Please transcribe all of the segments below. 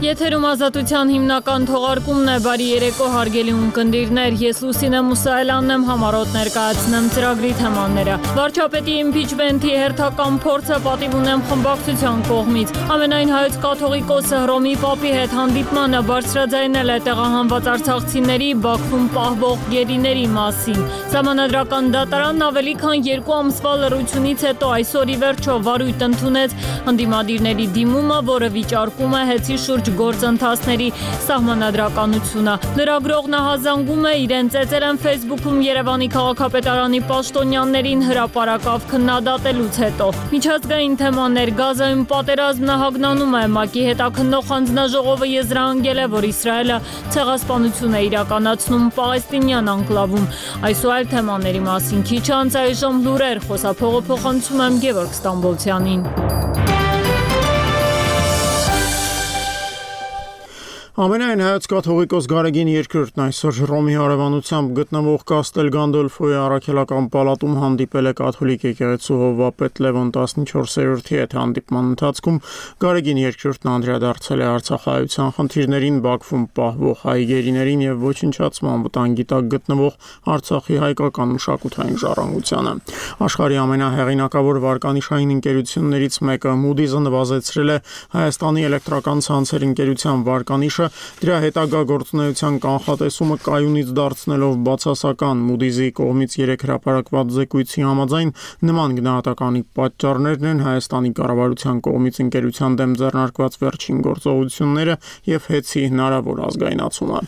Եթերում ազատության հիմնական թողարկումն է, բարի երեկո հարգելի ունկնդիրներ, ես Լուսինե Մուսայելյանն եմ, համառոտ ներկայացնեմ ծրագրի թեմաները։ Վարչապետի իմպիչմենթի հերթական փորձը պատիվ ունեմ խմբակցության կողմից։ Ամենայն հայոց կաթողիկոսը Հռոմի Պապի հետ հանդիպմանը բարձրաձայնել է տեղահանված արցախցիների Բաքվում պահվող գերիների մասին։ Սահմանադրական դատարանն ավելի քան 2 ամսվա լռությունից հետո այսօր ի վերջո վարույթ ընդունեց ընդդիմադիրների դիմումը, որը վիճարկում է հեծի շուրջ գործընթացների սահմանադրականությունը։ Լրագրողն հազանգում է իրեն ծեծել են Facebook-ում Երևանի քաղաքապետարանի պաշտոնյաներին հրապարակավ քննադատելուց հետո։ Միջազգային թեմաներ, Գազայում պատերազմն հագնանում է, ՄԱԿ-ի հետաքննող հանձնաժողովը եզրահանգել է, որ Իսրայելը ցեղասպանություն է իրականացնում պաղեստինյան անկլավում։ Այս ու այլ թեմաների մասին քիչ անց այժմ լուրեր, խոսափողը փոխանցում եմ Գևորգ Ստամբոլցյանին։ Ամենայն հայոց կաթողիկոս Գարեգին II այսօր Հռոմի հարևանությամբ գտնվող Կաստել Գանդոլֆոյի առաքելական պալատում հանդիպել է կաթոլիկ եկեղեցու հովվապետ Լևոն 14-րդի հետ։ Հանդիպման ընթացքում Գարեգին II-ն անդրադարձել է արցախահայության խնդիրներին, Բաքվում պահվող հայ գերիներին եւ ոչնչացման վտանգի տակ գտնվող Արցախի հայկական մշակութային ժառանգությանը։ Աշխարհի ամենահեղինակավոր վարկանիշային ընկերություններից մեկը Moody's-ը նվազեցրել է Հայաստանի էլեկտրական ցանցեր ընկերության վարկանիշը դրա հետագա գործունեության կանխատեսումը կայունից դարձնելով բացասական։ Moody's-ի կողմից 3 հրապարակված զեկույցի համաձայն նման գնահատականի պատճառներն են Հայաստանի կառավարության կողմից ընկերության դեմ ձեռնարկված վերջին գործողությունները եւ հեծի հնարավոր ազգայնացումը։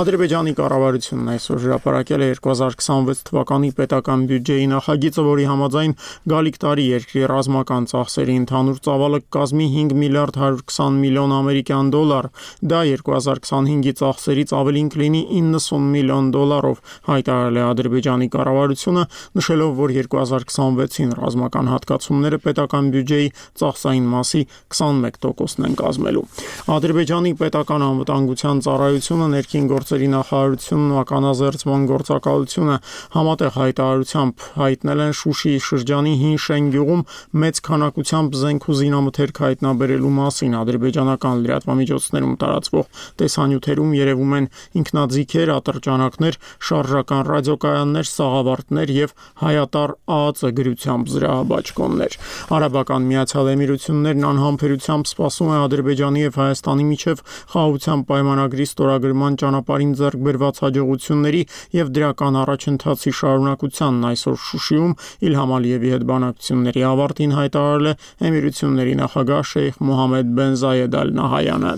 Ադրբեջանի կառավարությունն այսօր հրապարակել է 2026 թվականի պետական բյուջեի նախագիծը, որի համաձայն գալիք տարի երկրի ռազմական ծախսերի ընդհանուր ծավալը կկազմի 5 միլիարդ 120 միլիոն ամերիկյան դոլար։ Դա 2025-ի ծախսերից ավելին կլինի 90 միլիոն դոլարով, հայտարարել է Ադրբեջանի կառավարությունը, նշելով, որ 2026-ին ռազմական հատկացումները պետական բյուջեի ծախսային մասի 21%-ն են կազմելու։ Ադրբեջանի պետական անվտանգության ծառայությունը, ներքին գործերի նախարարությունն ու ականազերծման գործակալությունը համատեղ հայտարարությամբ հայտնել են Շուշիի շրջանի Հին Շեն գյուղում մեծ քանակությամբ զենք ու զինամթերք հայտնաբերելու մասին։ Ադրբեջանական լրատվամիջոցներում տարածվող տեսանյութերում երևում են ինքնաձիգեր, ատրճանակներ, շարժական ռադիոկայաններ, սաղավարտներ եւ հայատար ԱԱԾ գրությամբ զրահաբաճկոններ։ Արաբական Միացյալ Էմիրություններն անհամբերությամբ սպասում է Ադրբեջանի եւ Հայաստանի միջև խաղաղության պայմանագրի ստորագրման ճանապարհին ձեռք բերված հաջողությունների եւ դրական առաջընթացի շարունակությանն այսօր Շուշիում Իլհամ Ալիևի հետ բանակցությունների ավարտին հայտարարել է Էմիրությունների նախագահ Շեյխ Մոհամմեդ բեն Զայեդ Ալ Նահայանը։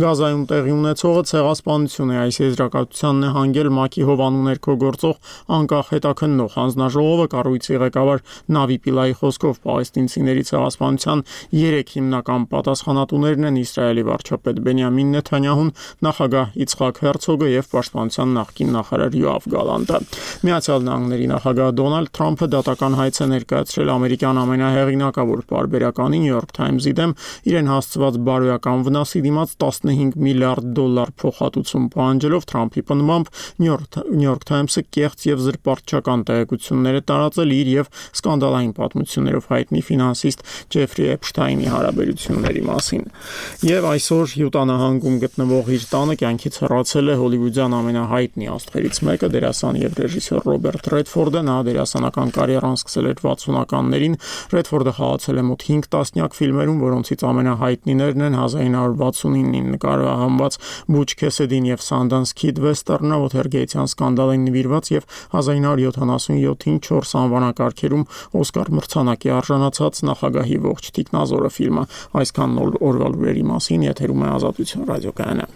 Գազայում տեղի ունեցողը ցեղասպանություն է, այս եզրակացությանն է հանգել ՄԱԿ-ի հովանու ներքո գործող անկախ հետաքննող հանձնաժողովը։ Կառույցի ղեկավար Նավի Պիլայի խոսքով պաղեստինցիների ցեղասպանության 3 հիմնական պատասխանատուներն են Իսրայելի վարչապետ Բենյամին Նեթանյահուն, նախագահ Իցխակ Հերցոգը եւ պաշտպանության նախկին նախարար Յոավ Գալանտը։ Միացյալ Նահանգների նախագահ Դոնալդ Թրամփը դատական հայց է ներկայացրել ամերիկյան ամենահեղինակավոր պարբերականի New York Times-ի դեմ իրեն հասցված բարոյական վնասի դիմաց 15 միլիարդ դոլար փոխհատուցում պահանջելով։ Թրամփի պնդմամբ New York Times-ը կեղծ եւ զրպարտչական տեղեկություններ է տարածել իր եւ սկանդալային պատմություններով հայտնի ֆինանսիստ Ջեֆրի Էփշթայնի հարաբերությունների մասին։ Եվ այսօր Յուտա նահանգում գտնվող իր տանը կյանքից հեռացել է հոլիվուդյան ամենահայտնի աստղերից մեկը, դերասան եւ ռեժիսոր Ռոբերտ Ռեդֆորդը։ Նա դերասանական կարիերան սկսել էր 60-ականներին։ Ռեդֆորդը խաղացել է մոտ 5 տասնյակ ֆիլմերում, որոնցից ամենահայտնիներն են 1969-ին նկարահանված Բուչ Քեսեդին եւ Sundance Kid վեստերնը, Watergate-յան սկանդալին նվիրված եւ 1977-ին 4 անվանակարգերում Օսկար մրցանակի արժանացած Նախագահի ողջ թիկնազորը ֆիլմը։ Այսքան օրվա լուրերի մասին եթերում է Ազատություն ռադիոկայանը։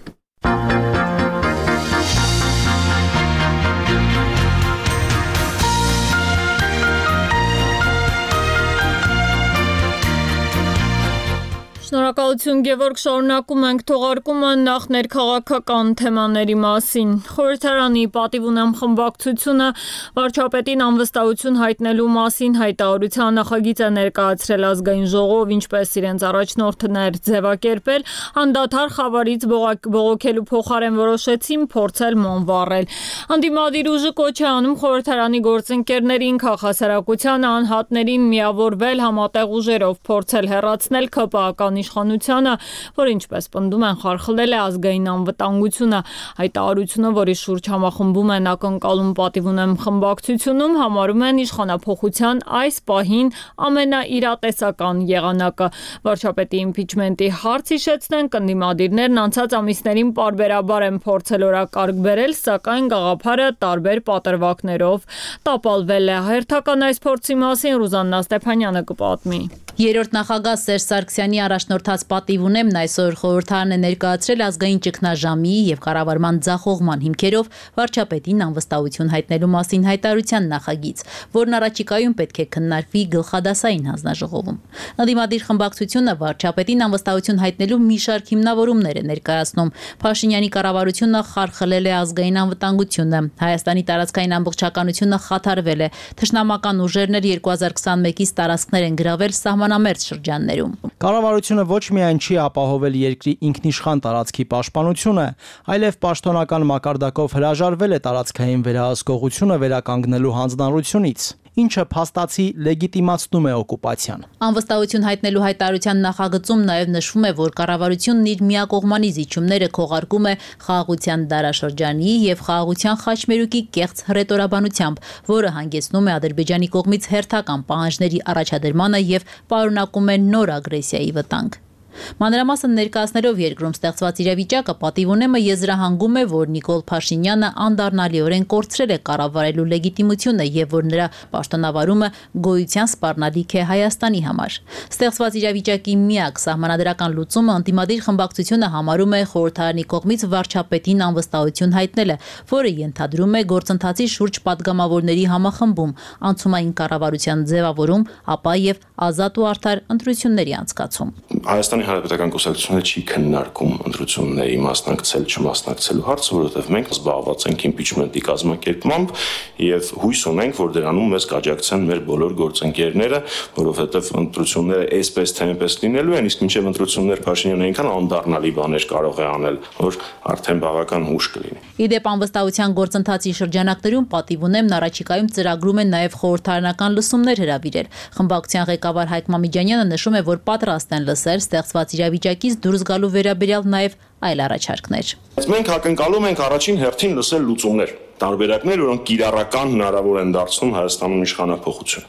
Շնորհակալություն Գևորգ, շարունակում ենք թողարկումը նախ ներքաղաքական թեմաների մասին։ Խորհրդարանի պատիվ ունեմ խմբակցությունը վարչապետին անվստահություն հայտնելու մասին հայտարարության նախագիծ է ներկայացրել ազգային ժողով, ինչպես իրենց առաջնորդներ ձևակերպել, անդադար խավարից բողոքելու փոխարեն որոշեցին փորձել մոմ վառել։ Անդիմադիր ուժը կոչ է անում խորհրդարանի գործընկերներին, քաղաքասարակությանը, անհատներին միավորվել համատեղ ուժերով, փորձել հեռացնել ՔՊԱ-ական հայկական իշխանությանը, որ ինչպես պնդում են խարխլել է ազգային անվտանգությունը։ Հայտարարությունը, որի շուրջ համախմբում են ակնկալում պատիվ ունեմ խմբակցությունում, համարում են իշխանափոխության այս պահին ամենաիրատեսական եղանակը։ Վարչապետի իմպիչմենտի հարց հիշեցնեն, կնդիմադիրներն անցած ամիսներին պարբերաբար են փորձել օրակարգ բերել, սակայն գաղափարը տարբեր պատրվակներով տապալվել է։ Հերթական այս փորձի մասին Ռուզաննա Ստեփանյանը կպատմի։ Երրորդ նախագահ Սերժ Սարգսյանի առաջնորդած պատիվ ունեմն այսօր խորհրդարան է ներկայացրել ազգային ճգնաժամի եւ կառավարման ձախողման հիմքերով վարչապետին անվստահություն հայտնելու մասին հայտարարության նախագիծ, որն առաջիկայում պետք է քննարկվի գլխադասային հանձնաժողովում։ Ընդդիմադիր խմբակցությունը վարչապետին անվստահություն հայտնելու մի շարք հիմնավորումներ է ներկայացնում։ Փաշինյանի կառավարությունը խարխլել է ազգային անվտանգությունը, Հայաստանի տարածքային ամբողջականությունը խաթարվել է, թշնամական ուժերն 2021-ից տարածքներ են գրավել սահմանամերձ շրջաններում։ Կառավարությունը ոչ միայն չի ապահովել երկրի ինքնիշխան տարածքի պաշտպանությունը, այլև պաշտոնական մակարդակով հրաժարվել է տարածքային վերահսկողությունը վերականգնելու հանձնառությունից, ինչը փաստացի լեգիտիմացնում է օկուպացիան։ Անվստահություն հայտնելու հայտարարության նախագծում նաև նշվում է, որ կառավարությունն իր միակողմանի զիջումները քողարկում է խաղաղության դարաշրջանի եւ խաղաղության խաչմերուկի կեղծ հռետորաբանությամբ, որը հանգեցնում է Ադրբեջանի կողմից հերթական պահանջների առաջադրմանը եւ պարունակում է նոր ագրեսիայի վտանգ։ Մանրամասն ներկայացնելով երկրում ստեղծված իրավիճակը, պատիվ ունեմը եզրահանգում է, որ Նիկոլ Փաշինյանը անդառնալիորեն կորցրել է կառավարելու լեգիտիմությունը եւ որ նրա պաշտոնավարումը գոյության սպառնալիք է Հայաստանի համար։ Ստեղծված իրավիճակի միակ սահմանադրական լուծումը ընդդիմադիր խմբակցությունը համարում է խորհրդարանի կողմից վարչապետին անվստահություն հայտնելը, որը ենթադրում է գործընթացի շուրջ падգամավորների համախմբում, անցումային կառավարության ձևավորում, ապա եւ ազատ ու արդար ընտրությունների անցկացում։ Հայաստանի Հանրապետական կուսակցությունը չի քննարկում ընտրությունների մասնակցել չմասնակցելու հարցը, որովհետև մենք զբաղված ենք իմպիչմենտի կազմակերպմամբ եւ հույս ունենք, որ դրանում մեզ կաջակցեն մեր բոլոր գործընկերները, որովհետև ընտրությունները այսպես թե այնպես լինելու են, իսկ մինչև ընտրություններ Փաշինյանը այնքան անդառնալի բաներ կարող է անել, որ արդեն բավական հուշ կլինի։ Իդեպ անվստահության գործընթացի շրջանակներում պատիվ ունեմն առաջիկայում ծրագրում են նաև խորհրդարանական լսումներ հրավիրել։ Խմբակցության ղեկավար Հայկ Մամիջանյանը նշում է, որ պատրաստ են լսել ստեղծված իրավիճակից դուրս գալու վերաբերյալ նաև այլ առաջարկներ։ Մենք ակնկալում ենք առաջին հերթին լսել լուծումներ, տարբերակներ, որոնք կիրառական հնարավոր են դարձնում Հայաստանում իշխանափոխություն։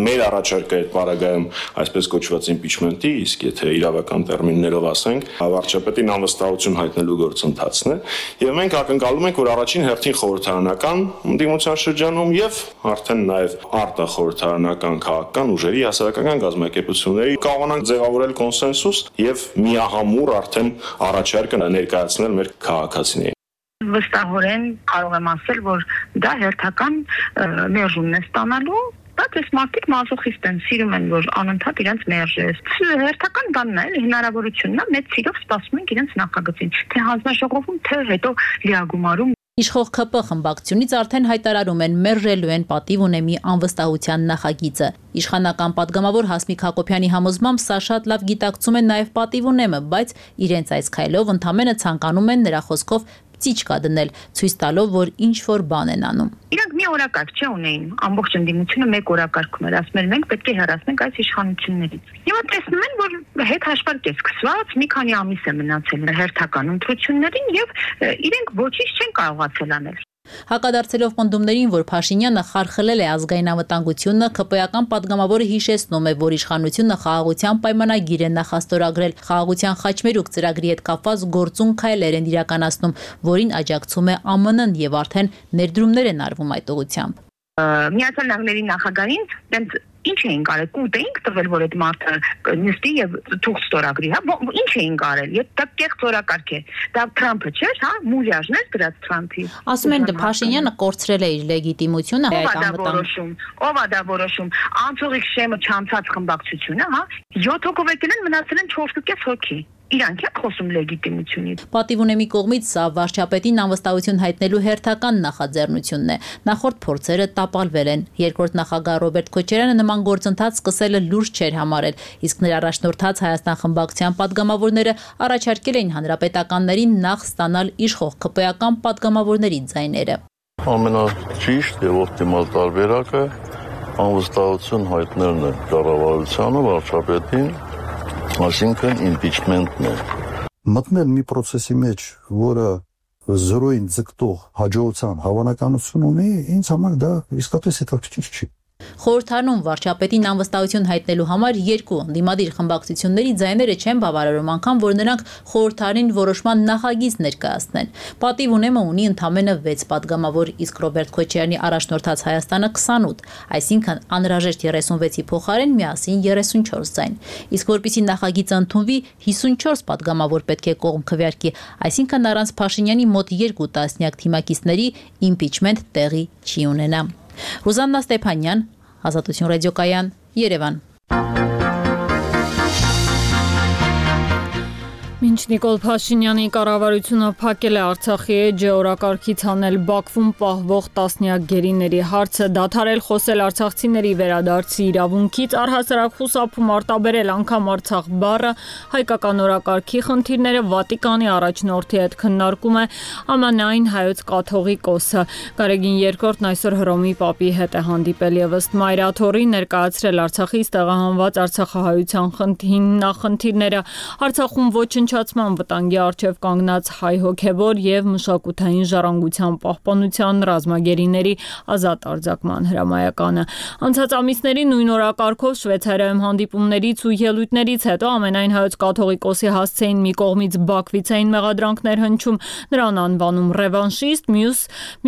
Մեր առաջարկը այդ պարագայում այսպես կոչված իմպիչմենտի, իսկ եթե իրավական տերմիններով ասենք, վարչապետին անվստահություն հայտնելու գործընթացն է, եւ մենք ակնկալում ենք, որ առաջին հերթին խորհրդարանական ընդդիմության շրջանում եւ արդեն նաեւ արտախորհրդարանական քաղաքական ուժերի հասարակական գազམ་ակերպությունների կարողանանք ձևավորել կոնսենսուս եւ միահամուռ արդեն առաջարկը ներկայացնել մեր քաղաքացիներին։ Վստահորեն կարող եմ ասել, որ դա հերթական մերժումն է ստանալու, բայց այս մարդիկ մազոխիստ են, սիրում են, որ անընդհատ իրենց մերժես։ Հերթական բանն է, հնարավորությունն է, մեծ սիրով սպասում ենք իրենց նախագծին, թե հանձնաժողովում, թե հետո լիագումարում։ Իշխող ԿՊ խմբակցությունից արդեն հայտարարում են մերժելու են պատիվ ունեմի անվստահության նախագիծը։ Իշխանական падգամավոր Հասմիկ Հակոբյանի համոզմամբ սա շատ լավ գիտակցում են նաև պատիվ ունեմը, բայց իրենց այս քայլով ընդամենը ցանկանում են նրա խոսքով ծիճկա դնել, ցույց տալով, որ ինչ որ բան են անում։ Իրանք մի օրակարգ չունեին, ամբողջ ընդդիմությունը մեկ օրակարգ ուներ, ասում են մենք պետք է հեռացնենք այս իշխանություններից։ Հիմա տեսնում են, որ հետ հաշվարկ է սկսված, մի քանի ամիս է մնացել հերթական ընտրություններին եւ իրենք ոչինչ չեն կարողացել անել։ Հակադարձելով պնդումներին, որ Փաշինյանը խարխլել է ազգային անվտանգությունը, ԿՊ-ական падգամավորը հիշեցնում է, որ իշխանությունը խաղաղության պայմանագիր է նախաստորագրել, խաղաղության խաչմերուկ ծրագրի հետ կապված գործուն քայլեր են իրականացնում, որին աջակցում է ԱՄՆ-ն եւ արդեն ներդրումներ են արվում այդ ուղղությամբ։ Միացյալ Նահանգների նախագահին դեռ ինչ էին կարել, կուտ էինք տվել, որ այդ մարդը նստի եւ թուղթ ստորագրի, հա, ինչ էին կարել, եւ դա կեղծ օրակարգ է, դա Թրամփը չէր, հա, մուլյաժն էր դրած Թրամփի։ Ասում են Փաշինյանը կորցրել է իր լեգիտիմությունը, ով է դա որոշում, անցողիկ շեմը չանցած խմբակցությունը, հա, 7 հոգով եկել են, մնացել են 4.5 հոգի։ Իրանք է խոսում լեգիտիմությունից։ Պատիվ ունեմի կողմից սա վարչապետին անվստահություն հայտնելու հերթական նախաձեռնությունն է։ Նախորդ փորձերը տապալվել են։ Երկրորդ նախագահ Ռոբերտ Քոչարյանը նման գործընթաց սկսելը լուրջ չէր համարել, իսկ նրա առաջնորդած Հայաստան խմբակցության падգամավորները առաջարկել էին հանրապետականներին նախ ստանալ իշխող ԿՊ-ական падգամավորների ձայները։ Ամենաճիշտ եւ օպտիմալ տարբերակը անվստահություն հայտնելն է կառավարությանը, վարչապետին, Այսինքն impeachment-ն է։ Մտնել մի process-ի մեջ, որը զրոյին ձգտող հաջողության հավանականություն ունի, ինձ համար դա իսկապես հետաքրքիր չի։ Խորհրդարանում վարչապետին անվստահություն հայտնելու համար երկու ընդդիմադիր խմբակցությունների ձայները չեն բավարարում, անգամ որ նրանք խորհրդարին որոշման նախագիծ ներկայացնեն։ Պատիվ ունեմը ունի ընդամենը 6 падգամավոր, իսկ Ռոբերտ Քոչարյանի առաջնորդած Հայաստանը 28, այսինքն անհրաժեշտ 36-ի փոխարեն միասին 34 ձայն։ Իսկ որպեսզի նախագիծը ընդունվի, 54 падգամավոր պետք է կողմ քվեարկի, այսինքն առանց Փաշինյանի մոտ 2 տասնյակ թիմակիցների իմպիչմենտ տեղի չի ունենա։ Ռուզաննա Ստեփանյան, Ազատություն ռադիոկայան, Երևան։ Մինչ Նիկոլ Փաշինյանի կառավարությունը փակել է Արցախի էջը օրակարգից հանել Բաքվում պահվող տասնյակ գերիների հարցը, դադարել խոսել արցախցիների վերադարձի իրավունքից, առհասարակ խուսափում արտաբերել անգամ Արցախ բառը, հայկական օրակարգի խնդիրները Վատիկանի առաջնորդի հետ քննարկում է ԱՄՆ-ային հայոց կաթողիկոսը։ Գարեգին II այսօր Հռոմի Պապի հետ է հանդիպել եւ ըստ Մայրաթորի ներկայացրել Արցախից տեղահանված արցախահայության հիմնախնդիրները, Արցախում ոչնչացման վտանգի առջև կանգնած հայ հոգևոր եւ մշակութային ժառանգության պահպանության ռազմագերիների ազատ արձակման հրամայականը։ Անցած ամիսների նույն օրակարգով Շվեյցարիայում հանդիպումներից ու ելույթներից հետո ամենայն հայոց կաթողիկոսի հասցեին մի կողմից Բաքվից էին մեղադրանքներ հնչում, նրան անվանում ռևանշիստ,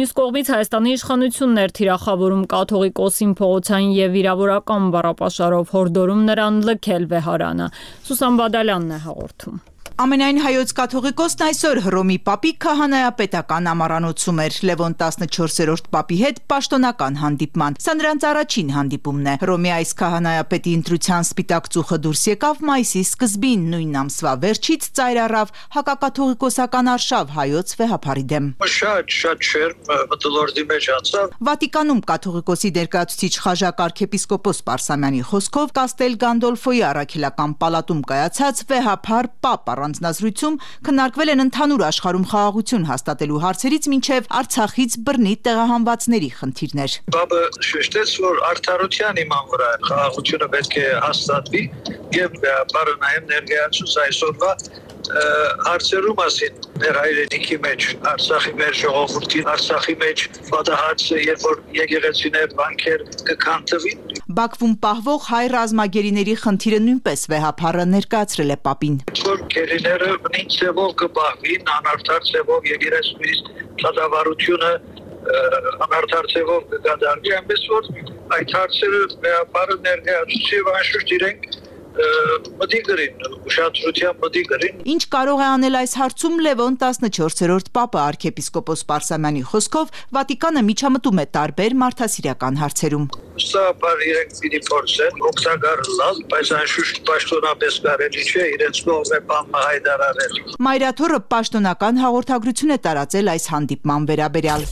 մյուս կողմից Հայաստանի իշխանություններ թիրախավորում կաթողիկոսին փողոցային եւ վիրավորական բառապաշարով հորդորում նրան լքել վեհարանը։ Սուսան Բադալյանն է հաղորդում։ Ամենայն հայոց կաթողիկոսն այսօր Հռոմի Պապի քահանայապետական ամառանոցում էր Լևոն 14-րդ Պապի հետ պաշտոնական հանդիպման։ Սա նրանց առաջին հանդիպումն է։ Հռոմի այս քահանայապետի ընտրության սպիտակ ծուխը դուրս եկավ մայիսի սկզբին, նույն ամսվա վերջից ծայր առավ հակակաթողիկոսական արշավ հայոց վեհափարի դեմ։ Շատ շերմ մտոլորտի մեջ անցավ։ Վատիկանում կաթողիկոսի ներկայացուցիչ խաժակ arczepiskopos Պարսամյանի խոսքով Կաստել Գանդոլֆոյի առաքելական պալատում կայացած վեհափար Պապ առանձնազրույցում քննարկվել են ընդհանուր աշխարհում խաղաղություն հաստատելու հարցերից մինչև Արցախից բռնի տեղահանվածների խնդիրներ։ Պապը շեշտեց, որ արդարության իման վրա խաղաղությունը պետք է հաստատվի եւ բարը նաեւ ներկայացուց այսօրվա հարցերու մասին մեր հայրենիքի մեջ, Արցախի մեր ժողովրդի, Արցախի մեջ պատահածը, երբ որ եկեղեցիներ, բանկեր կքանդվին։ Բաքվում պահվող հայ ռազմագերիների խնդիրը նույնպես վեհափարը ներկայացրել է Պապին։ Որ գերիները նույն ձևով կպահվին, անարդար ձևով եկեղեցուից դատավարությունը անարդար ձևով կկատարվի, այնպես որ այդ հարցերը վեհափարը ներկայացուցի եւ անշուշտ իրենք մտիգրին, ուշադրության մտիգրին։ Ինչ կարող է անել այս հարցում Լևոն 14-րդ Պապը arczepiskopos Պարսամյանի խոսքով Վատիկանը միջամտում է տարբեր մարդասիրական հարցերում։ Սա բար իրենք պիտի փորձեն օգտակար լալ, բայց անշուշտ պաշտոնապես կարելի չէ իրենց կողմը բանը հայտարարել։ Մայրաթորը պաշտոնական հաղորդագրություն է տարածել այս հանդիպման վերաբերյալ։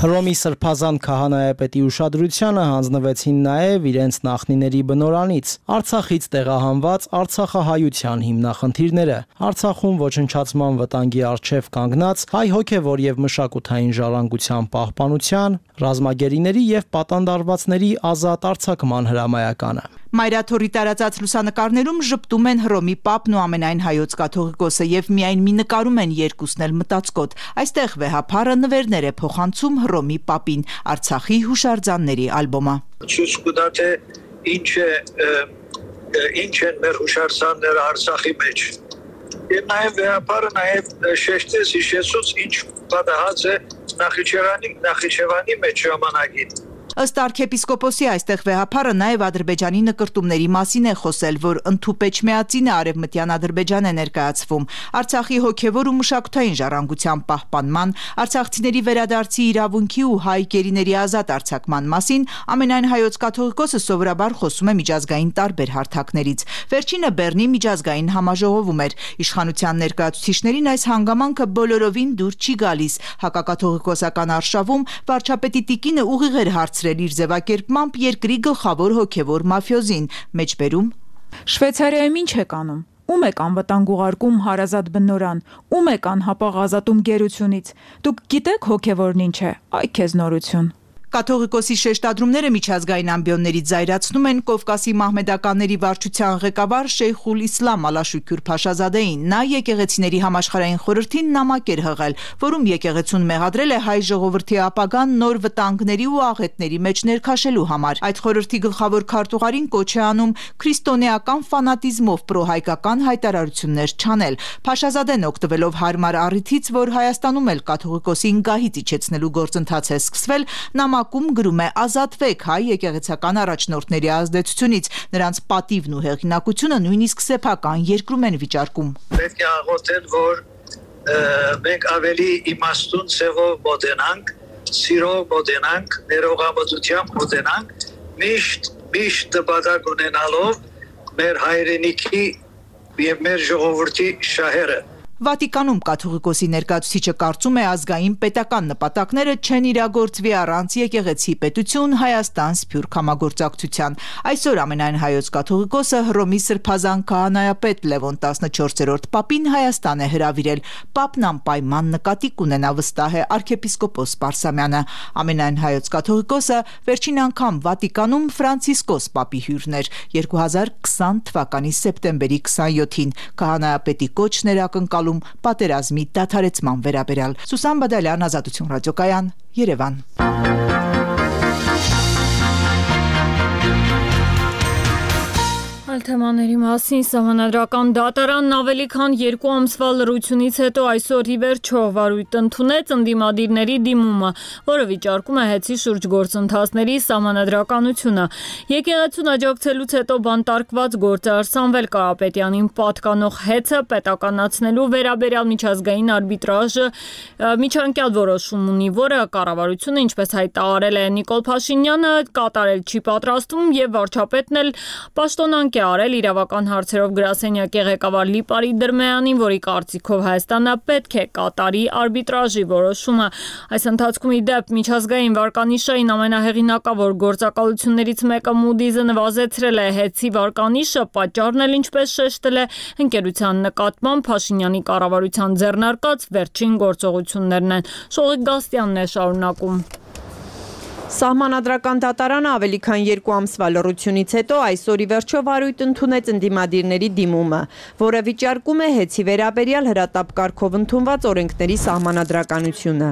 Հռոմի Սրբազան քահանայապետի ուշադրությանը հանձնվեցին նաև իրենց նախնիների բնորանից Արցախից տեղահանված արցախահայության հիմնախնդիրները, Արցախում ոչնչացման վտանգի առջև կանգնած հայ հոգևոր եւ մշակութային ժառանգության պահպանության, ռազմագերիների եւ պատանդարվածների ազատ արձակման հրամայականը։ Մայրաթորի տարածած լուսանկարներում ժպտում են Հռոմի Պապն ու ամենայն հայոց կաթողիկոսը եւ միայն մի նկարում են երկուսն էլ մտածկոտ։ Այստեղ վեհափարը նվերներ է փոխանցում Հռոմի Պապին, Արցախի հուշարձանների ալբոմը։ Ցույց կտա թե ինչ են մեր հուշարձանները Արցախի մեջ։ Եվ նաև վեհափարը նաև շեշտեց հիշեցուց ինչ պատահած է Նախիջևանի մեջ ժամանակին։ Ըստ arczepiskopos-ի այստեղ վեհափարը նաև Ադրբեջանի նկրտումների մասին է խոսել, որ ընդհուպեչմեածինը արևմտյան Ադրբեջան է ներկայացվում, Արցախի հոգևոր ու մշակութային ժառանգության պահպանման, արցախցիների վերադարձի իրավունքի ու հայ գերիների ազատ արձակման մասին ամենայն հայոց կաթողիկոսը սովորաբար խոսում է միջազգային տարբեր հարթակներից։ Վերջինը Բեռնի միջազգային համաժողովում էր։ Իշխանության ներկայացուցիչներին այս հանգամանքը բոլորովին դուր չի գալիս։ Հակակաթողիկոսական արշավում վարչապետի տիկինը ուղիղ էր հարցրել իր ձևակերպմամբ երկրի գլխավոր հոգևոր մաֆիոզին, մեջբերում Շվեյցարիայում ինչ եք անում։ Ում եք անվտանգ ուղարկում հարազատ բնորան, ում եք անհապաղ ազատում գերությունից։ Դուք գիտեք հոգևորն ինչ է, այ քեզ նորություն։ Կաթողիկոսի շեշտադրումները միջազգային ամբիոններից զայրացնում են Կովկասի մահմեդականների վարչության ղեկավար Շեյխուլ Իսլամ Ալաշուքյուր Փաշազադեին։ Նա եկեղեցիների համաշխարհային խորհրդին նամակ էր հղել, որում եկեղեցուն մեղադրել է հայ ժողովրդի ապագան նոր վտանգների ու աղետների մեջ ներքաշելու համար։ Այդ խորհրդի գլխավոր քարտուղարին կոչ է անում քրիստոնեական ֆանատիզմով պրոհայկական հայտարարություններ չանել։ Փաշազադեն օգտվելով հարմար առիթից, որ Հայաստանում էլ կաթողիկոսին գահից իջեցնելու գործընթաց է սկսվել, նամակում գրում է ազատվեք հայ եկեղեցական առաջնորդների ազդեցությունից, նրանց պատիվն ու հեղինակությունը նույնիսկ սեփական երկրում են վիճարկում։ Պետք է աղոթել, որ մենք ավելի իմաստուն ձևով մոտենանք, սիրով մոտենանք, ներողամտությամբ մոտենանք, միշտ նպատակ ունենալով մեր հայրենիքի եւ մեր ժողովրդի շահերը։ Վատիկանում կաթողիկոսի ներկայացուցիչը կարծում է ազգային պետական նպատակները չեն իրագործվի առանց եկեղեցի պետություն Հայաստան սփյուռք համագործակցության։ Այսօր ամենայն հայոց կաթողիկոսը Հռոմի սրբազան քահանայապետ Լևոն 14-րդ պապին Հայաստան է հրավիրել։ Պապն անպայման նկատի կունենա, վստահ է arczepiskopos Պարսամյանը։ Ամենայն հայոց կաթողիկոսը վերջին անգամ Վատիկանում Ֆրանցիսկոս պապի հյուրն էր 2020 թվականի սեպտեմբերի 27-ին։ Քահանայապետի կոչն էր ակնկալում պատերազմի դադարեցման վերաբերյալ։ Սուսան Բադալյան, Ազատություն ռադիոկայան, Երևան։ Թեմաների մասին Սահմանադրական դատարանն ավելի քան 2 ամսվա լռությունից հետո այսօր ի վերջո վարույթ ընդունեց ընդդիմադիրների դիմումը, որը վիճարկում է հեծի շուրջ գործընթացների սահմանադրականությունը։ Եկեղեցուն աջակցելուց հետո բանտարկված գործարար Սամվել Կարապետյանին պատկանող հեծը պետականացնելու վերաբերյալ միջազգային արբիտրաժը միջանկյալ որոշում ունի, որը կառավարությունը, ինչպես հայտարարել է Նիկոլ Փաշինյանը, կատարել չի պատրաստվում եւ վարչապետն էլ պաշտոնանկ է արել իրավական հարցերով գրասենյակի ղեկավար Լիպարի Դրմեյանին, որի կարծիքով Հայաստանը պետք է կատարի արբիտրաժի որոշումը։ Այս ընթացքում ի դեպ միջազգային վարկանիշային ամենահեղինակավոր գործակալություններից մեկը Moody's-ը նվազեցրել է հեծի վարկանիշը, պատճառն էլ ինչպես շեշտել է ընկերության նկատմամբ Փաշինյանի կառավարության ձեռնարկած վերջին գործողություններն են։ Շողիկ Գաստյանն է շարունակում։ Սահմանադրական դատարանը ավելի քան 2 ամսվա լռությունից հետո այսօր ի վերջո վարույթ ընդունեց ընդդիմադիրների դիմումը, որը վիճարկում է հեծի վերաբերյալ հրատապ կարգով ընդունված օրենքների սահմանադրականությունը։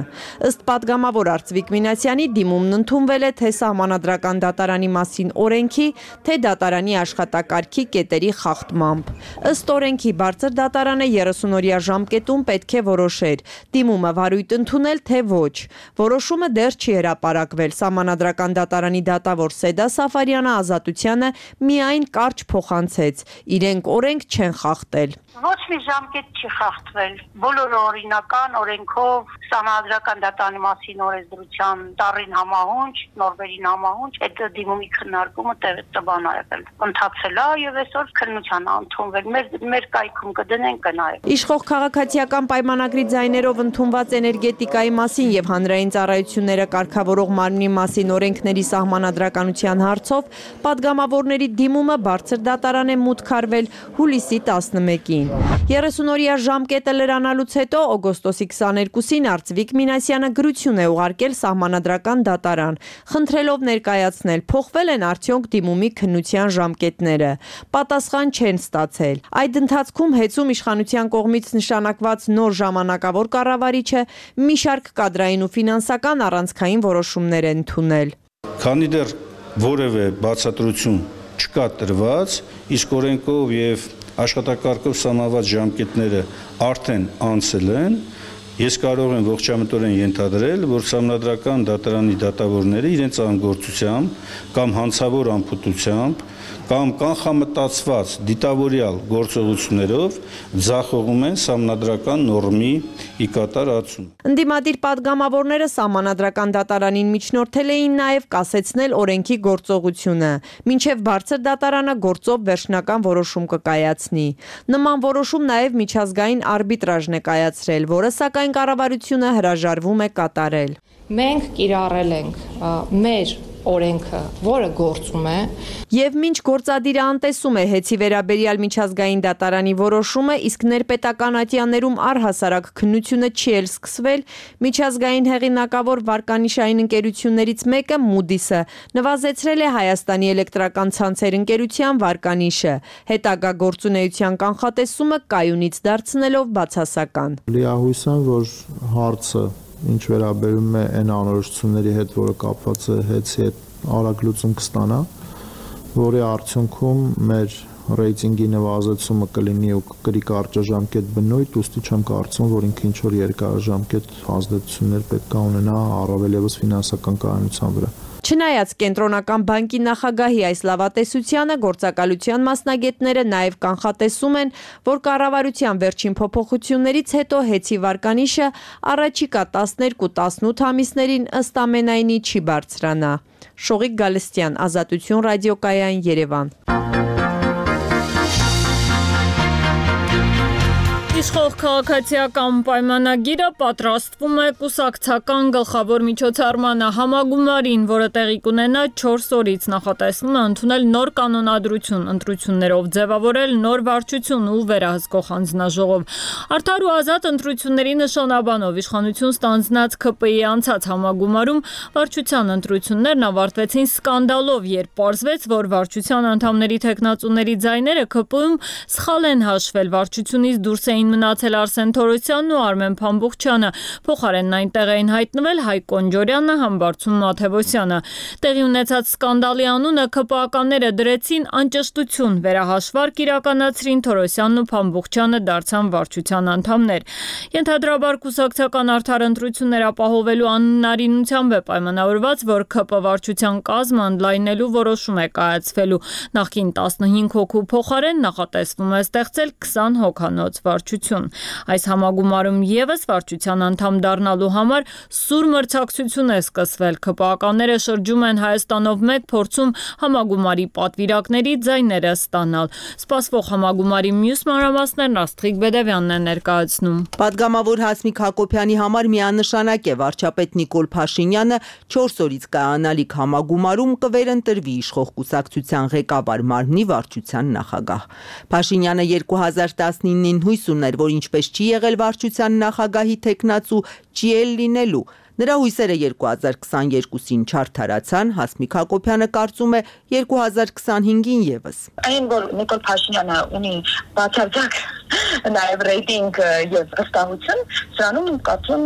Ըստ падգամավոր Արծվիկ Մինասյանի դիմումն ընդունվել է թե սահմանադրական դատարանի մասին օրենքի, թե դատարանի աշխատակարգի կետերի խախտմամբ։ Ըստ օրենքի բարձր դատարանը 30-օրյա ժամկետում պետք է որոշեր դիմումը վարույթ ընդունել թե ոչ։ Որոշումը դեռ չի հրապարակվել։ Սահմանադրական դատարանի դատավոր Սեդա Սաֆարյանը Ազատությանը միայն կարճ փոխանցեց. իրենք օրենք չեն խախտել։ Ոչ մի ժամկետ չի խախտվել։ Բոլորը օրինական օրենքով Սահմանադրական դատարանի մասին օրենսդրության տառին համահունչ, նորմերին համահունչ այդ դիմումի քննարկումը տևական է եղել։ Ընթացել է եւ այսօր քննության է ընդունվել։ Մեր կայքում կդնենք կնայենք։ Իշխող քաղաքացիական պայմանագրի ձայներով ընդունված էներգետիկայի մասին եւ հանրային ծառայությունները կարգավորող մարմնի մասին օրենքների սահմանադրականության հարցով падգամավորների դիմումը բարձր դատարան է մուտք արվել հուլիսի 11-ին։ 30-օրյա ժամկետը լրանալուց հետո օգոստոսի 22-ին Արծվիկ Մինասյանը գրություն է ուղարկել սահմանադրական դատարան, խնդրելով ներկայացնել փոխվել են արդյոք դիմումի քննության ժամկետները։ Պատասխան չեն ստացել։ Այդ ընթացքում հեծում իշխանության կողմից նշանակված նոր ժամանակավոր կառավարիչը մի շարք կադրային ու ֆինանսական առանցքային որոշումներ են ընդունել։ Քանի դեռ որևէ բացատրություն չկա տրված, իսկ օրենքով եւ աշխատակարգով սահմանված ժամկետները արդեն անցել են, ես կարող եմ ողջամտորեն ենթադրել, որ սահմանադրական դատարանի դատավորները իրենց անգործությամբ կամ հանցավոր անփութությամբ կամ կանխամտածված դիտավորյալ գործողություններով ձախողում են սահմանադրական նորմի ի կատարածում։ Ընդդիմադիր падգամավորները սահմանադրական դատարանին միջնորդել էին նաև կասեցնել օրենքի գործողությունը, մինչև բարձր դատարանը գործով վերջնական որոշում կկայացնի։ Նման որոշում նաև միջազգային արբիտրաժն է կայացրել, որը սակայն կառավարությունը հրաժարվում է կատարել։ Մենք կիրառել ենք մեր օրենքը, որը գործում է, եւ մինչ գործադիրը անտեսում է հեծի վերաբերյալ միջազգային դատարանի որոշումը, իսկ ներպետական ատյաններում առհասարակ քննությունը չի էլ սկսվել, միջազգային հեղինակավոր վարկանիշային ընկերություններից մեկը Moody's-ը նվազեցրել է Հայաստանի էլեկտրական ցանցեր ընկերության վարկանիշը, հետագա գործունեության կանխատեսումը կայունից դարձնելով բացասական։ Լիահույս եմ, որ հարցը ինչ վերաբերում է այն անորոշությունների հետ, որը կապված է հեծի հետ արագ լուծում կստանա, որի արդյունքում մեր ռեյտինգի նվազեցումը կլինի ու կգրի կարճաժամկետ բնույթ, ուստի չեմ կարծում, որ ինքը ինչ-որ երկարաժամկետ ազդեցություններ պետք է ունենա առավել ևս ֆինանսական կայունության վրա։ Չնայած կենտրոնական բանկի նախագահի այս լավատեսությանը, գործակալության մասնագետները նաև կանխատեսում են, որ կառավարության վերջին փոփոխություններից հետո հեծի վարկանիշը առաջիկա 12-18 ամիսներին ըստ ամենայնի չի բարձրանա։ Շողիկ Գալստյան, Ազատություն ռադիոկայան, Երևան։ Իշխող քաղաքացիական պայմանագիրը պատրաստվում է կուսակցական գլխավոր միջոցառմանը համագումարին, որը տեղի կունենա 4 օրից, նախատեսվում է ընդունել նոր կանոնադրություն, ընտրություններով ձևավորել նոր վարչություն ու վերահսկող հանձնաժողով։ Արդար ու ազատ ընտրությունների նշանաբանով իշխանություն ստանձնած ՔՊ-ի անցած համագումարում վարչության ընտրություններն ավարտվեցին սկանդալով, երբ պարզվեց, որ վարչության անդամների թեկնածուների ձայները ՔՊ-ում սխալ են հաշվել, վարչությունից դուրս էին մնացել Արսեն Թորոսյանն ու Արմեն Փամբուխչյանը, փոխարենն այնտեղ էին հայտնվել Հայկ Կոնջորյանը, Համբարձում Մաթևոսյանը։ Տեղի ունեցած սկանդալի անունը ՔՊԱ-ականները դրեցին անճշտություն, վերահաշվարկ իրականացրին, Թորոսյանն ու Փամբուխչյանը դարձան վարչության անդամներ։ Ենթադրաբար կուսակցական արդար ընտրություններ ապահովելու անհնարինությամբ է պայմանավորված, որ ՔՊ վարչության կազմը ընդլայնելու որոշում է կայացվելու։ Նախկին 15 հոգու փոխարեն նախատեսվում է ստեղծել 20 հոգանոց վարչություն։ Այս համագումարում եւս վարչության անդամ դառնալու համար սուր մրցակցություն է սկսվել։ ՔՊԱ-ականները շրջում են Հայաստանով մեկ փորձում համագումարի պատվիրակների ձայները ստանալ։ Սպասվող համագումարի մյուս մանրամասներն Աստղիկ Բեդևյանն է ներկայացնում։ Պատգամավոր Հասմիկ Հակոբյանի համար միանշանակ է վարչապետ Նիկոլ Փաշինյանը 4 օրից կայանալիք համագումարում կվերընտրվի իշխող կուսակցության ղեկավար մարմնի վարչության նախագահ։ Փաշինյանը 2019-ին հույս ուներ, որ ինչպես չի եղել վարչության նախագահի թեկնածու, չի էլ լինելու։ Նրա հույսերը 2022-ին չարդարացան, Հասմիկ Հակոբյանը կարծում է 2025-ին եւս։ Այն, որ Նիկոլ Փաշինյանը ունի բացարձակ նաև ռեյտինգ եւ վստահություն, սրանում կարծում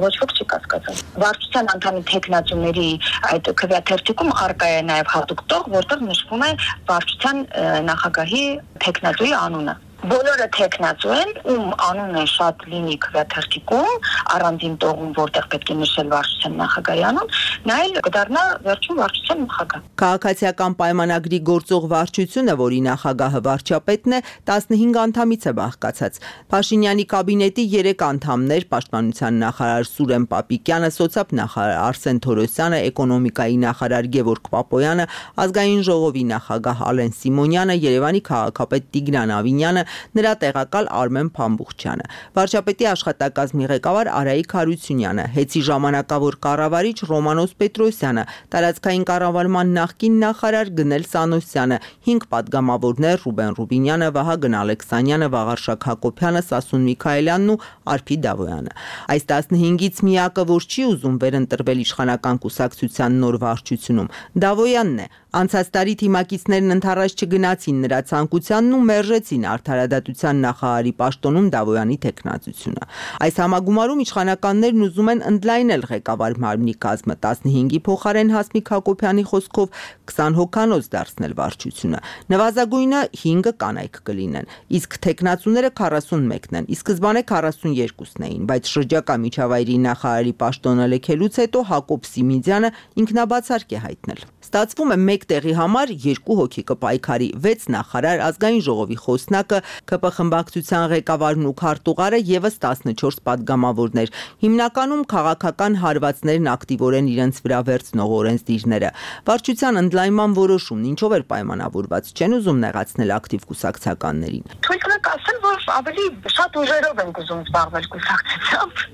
ոչ ոք չի կասկածում։ Վարչության անդամի թեկնածուների այդ քվեաթերթիկում առկա է նաև հատուկ տող, որտեղ նշվում է վարչության նախագահի թեկնածուի անունը։ Բոլորը թեկնածու են, ում անունը շատ լինի քվեաթերթիկում, առանձին տողում, որտեղ պետք է նշել վարչության նախագահի անուն, նա էլ կդառնա վերջում վարչության նախագահ։ Քաղաքացիական պայմանագրի գործող վարչությունը, որի նախագահը վարչապետն է, 15 անդամից է բաղկացած։ Փաշինյանի կաբինետի 3 անդամներ՝ պաշտպանության նախարար Սուրեն Պապիկյանը, սոցիալ-նախարար Արսեն Թորոսյանը, էկոնոմիկայի նախարար Գևորգ Պապոյանը, ազգային ժողովի նախագահ Ալեն Սիմոնյանը, Երևանի քաղաքապետ Տիգրան Ավինյանը, նրա տեղակալ Արմեն Փամբուխչյանը, վարչապետի աշխատակազմի ղեկավար Արայիկ Հարությունյանը, հեծի ժամանակավոր կառավարիչ Ռոմանոս Պետրոսյանը, տարածքային կառավարման նախկին նախարար Գնել Սանոսյանը, 5 պատգամավորներ Ռուբեն Ռուբինյանը, Վահագն Ալեքսանյանը, Վաղարշակ Հակոբյանը, Սասուն Միքայելյանն ու Արփի Դավոյանը։ Այս 15-ից միակը, որ չի ուզում վերընտրվել իշխանական կուսակցության նոր վարչությունում, Դավոյանն է։ Անցած տարի թիմակիցներն ընդառաջ չգնացին նրա ցանկությանն ու մերժեցին արդարադատության նախարարի պաշտոնում Դավոյանի թեկնածությունը։ Այս համագումարում իշխանականներն ուզում են ընդլայնել ղեկավար մարմնի կազմը, 15-ի փոխարեն Հասմիկ Հակոբյանի խոսքով 20 հոգանոց դարձնել վարչությունը։ Նվազագույնը 5 կանայք կլինեն, իսկ թեկնածուները 41-ն են, ի սկզբանե 42-ն էին, բայց շրջակա միջավայրի նախարարի պաշտոնը լքելուց հետո Հակոբ Սիմիդյանը ինքնաբացարկ է հայտնել։ Ստացվում է մեկ տեղի համար 2 հոգի կպայքարի, 6 նախարար, ազգային ժողովի խոսնակը, ԿՊ խմբակցության ղեկավարն ու քարտուղարը եւս 14 պատգամավորներ։ Հիմնականում քաղաքական հարվածներն ակտիվորեն իրենց վրա վերցնող օրենսդիրները։ Վարչության ընդլայնման որոշումն ինչով էր պայմանավորված, չեն ուզում նեղացնել ակտիվ կուսակցականներին։ Թույլ տվեք ասել, որ ավելի շատ ուժերով են ուզում զբաղվել կուսակցությամբ։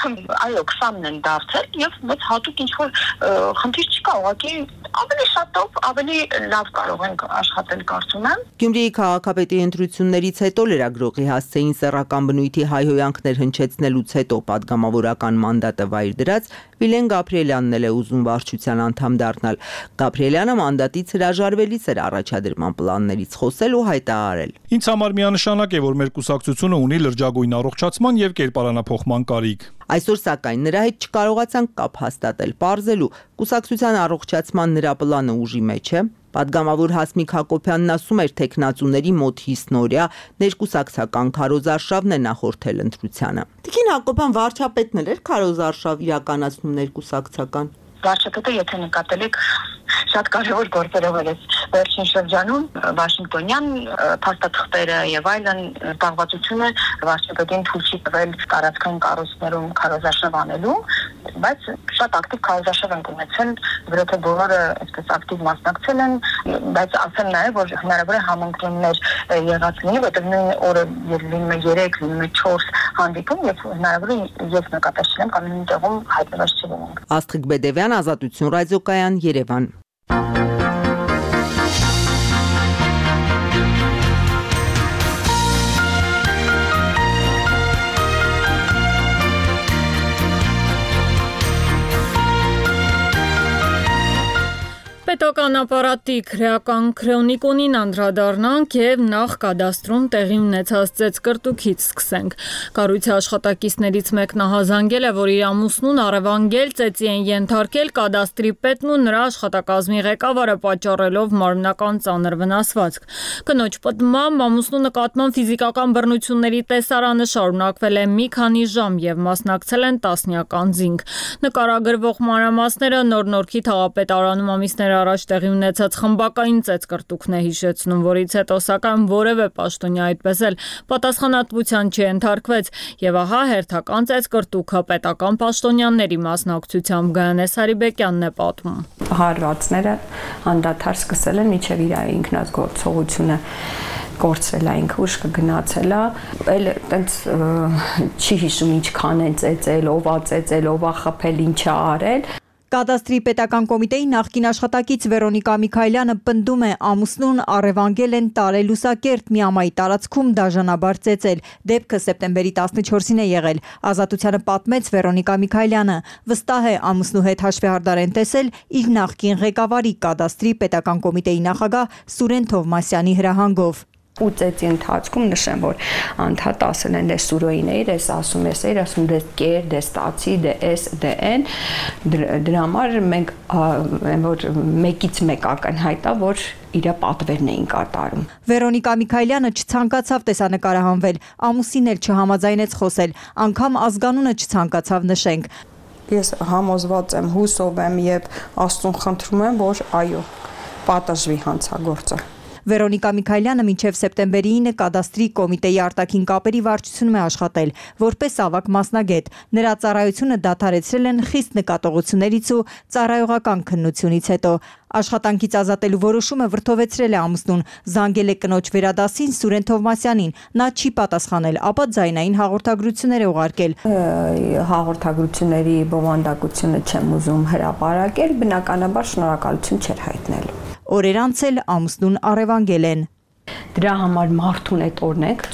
Այո, 20-ն են դարձել եւ ոչ հատուկ ինչ որ խնդիր չկա, ուղղակի ավելի շատով ավելի լավ կարող ենք աշխատել կարծում եմ։ Գյումրիի քաղաքապետի ընտրություններից հետո լրագրողի հասցեին սեռական բնույթի հայհոյանքներ հնչեցնելուց հետո պատգամավորական մանդատը վայր դրած Վիլեն Գաբրիելյանն էլ է ուզում վարչության անդամ դառնալ։ Գաբրիելյանը մանդատից հրաժարվելիս էր առաջադրման պլաններից խոսել ու հայտարարել. Ինձ համար միանշանակ է, որ մեր կուսակցությունը ունի լրջագույն առողջացման եւ կերպարանափոխման կարիք։ Այսօր սակայն նրա հետ չկարողացանք կապ հաստատել, պարզելու կուսակցության առողջացման նրա պլանը ուժի մեջ է։ Պատգամավոր Հասմիկ Հակոբյանն ասում էր, թե քննածուների մոտ 50-օրյա ներկուսակցական քարոզարշավն է նախորդել ընտրությանը։ Տիկին Հակոբյան վարչապետն էր քարոզարշավ իրականացնում ներկուսակցական։ Վարչապետը, եթե նկատել եք, շատ կարևոր գործերով էր վերջին շրջանում Վաշինգտոնյան փաստաթղթերը եւ այլն զբաղվածությունը վարչապետին թույլ չի տվել տարածքային կառույցներում քարոզարշավ անելու, բայց շատ ակտիվ քարոզարշավ են ունեցել, որովհետեւ բոլորը այսպես ակտիվ մասնակցել են, բայց ասեմ նաեւ, որ հնարավոր է համընկնումներ եղած լինի, որովհետեւ նույն օրը լինում է 3, լինում է 4 հանդիպում եւ հնարավոր է ես նկատել չեմ կամ նույն տեղում հայտնված չլինենք։ Աստղիկ Բեդևյան, Ազատություն ռադիոկայան, Երևան։ Պետական ապարատի քրեական քրոնիկոնին անդրադառնանք եւ նախ կադաստրում տեղի ունեցած ծեծկրտուքից սկսենք։ Կառույցի աշխատակիցներից մեկն ահազանգել է, որ իր ամուսնուն առևանգել ծեծի են ենթարկել կադաստրի պետն ու նրա աշխատակազմի ղեկավարը պատճառելով մարմնական ծանր վնասվածք։ Կնոջ պատմամբ ամուսնու նկատմամբ ֆիզիկական բռնությունների տեսարանը շարունակվել է մի քանի ժամ եւ մասնակցել են տասնյակ անձինք։ Նկարագրվող մանրամասները Նոր-Նորքի թաղապետարանում ամիսներ առաջ տեղի ունեցած խմբակային ծեծկրտուքն է հիշեցնում, որից հետո սակայն որևէ պաշտոնյա այդպես էլ պատասխանատվության չենթարկվեց եւ ահա հերթական ծեծկրտուքը պետական պաշտոնյաների մասնակցությամբ Գայանե Սարիբեկյանն է պատմում։ Հարվածները անդադար սկսել են մինչեւ իր ինքնազգործողությունը գործել է, ինքը ուշ կգնացել է, էլ տենց չի հիշում ինչքան են ծեծել, ով ա խփել, ինչ ա արել։ Կադաստրի պետական կոմիտեի նախկին աշխատակից Վերոնիկա Միքայելյանը պնդում է ամուսնուն առևանգել են տարել Լուսակերտ Միամայի տարածքում դաժանաբար ծեծել։ Դեպքը սեպտեմբերի 14-ին է եղել։ Ազատությանը պատմեց Վերոնիկա Միքայելյանը։ Վստահ է ամուսնու հետ հաշվեհարդար են տեսել իր նախկին ղեկավարի Կադաստրի պետական կոմիտեի նախագահ Սուրեն Թովմասյանի հրահանգով։ Ու ծեծի ընթացքում նշեմ, որ անդադ ասել են դες սուրոին էիր, ես ասում դες կեր, դες ստացի, դες դեն, դրա համար մենք որ մեկից մեկ ակնհայտ է, որ իր պատվերն էին կատարում։ Վերոնիկա Միքայելյանը չցանկացավ տեսանկարահանվել, ամուսինն էլ չհամաձայնեց խոսել, անգամ ազգանունը չցանկացավ նշենք։ Ես համոզված եմ, հուսով եմ եւ Աստծուն խնդրում եմ, որ այո, պատժվի հանցագործը։ Վերոնիկա Միքայելյանը մինչև սեպտեմբերի 9 Կադաստրի կոմիտեի արտաքին կապերի վարչությունում է աշխատել, որպես ավագ մասնագետ։ Նրա ծառայությունը դադարեցրել են խիստ նկատողություններից ու ծառայողական քննությունից հետո։ Աշխատանքից ազատելու որոշումը վրթովեցրել է ամուսնուն, զանգել է կնոջ վերադասին Սուրեն Թովմասյանին, նա չի պատասխանել, ապա ձայնային հաղորդագրություններ է ուղարկել։ Հաղորդագրությունների բովանդակությունը չեմ ուզում հրապարակել, բնականաբար շնորհակալություն չէր հայտնելու։ Օրեր անց էլ ամուսնուն առևանգել են։ Դրա համար մարդուն այդ օրն ենք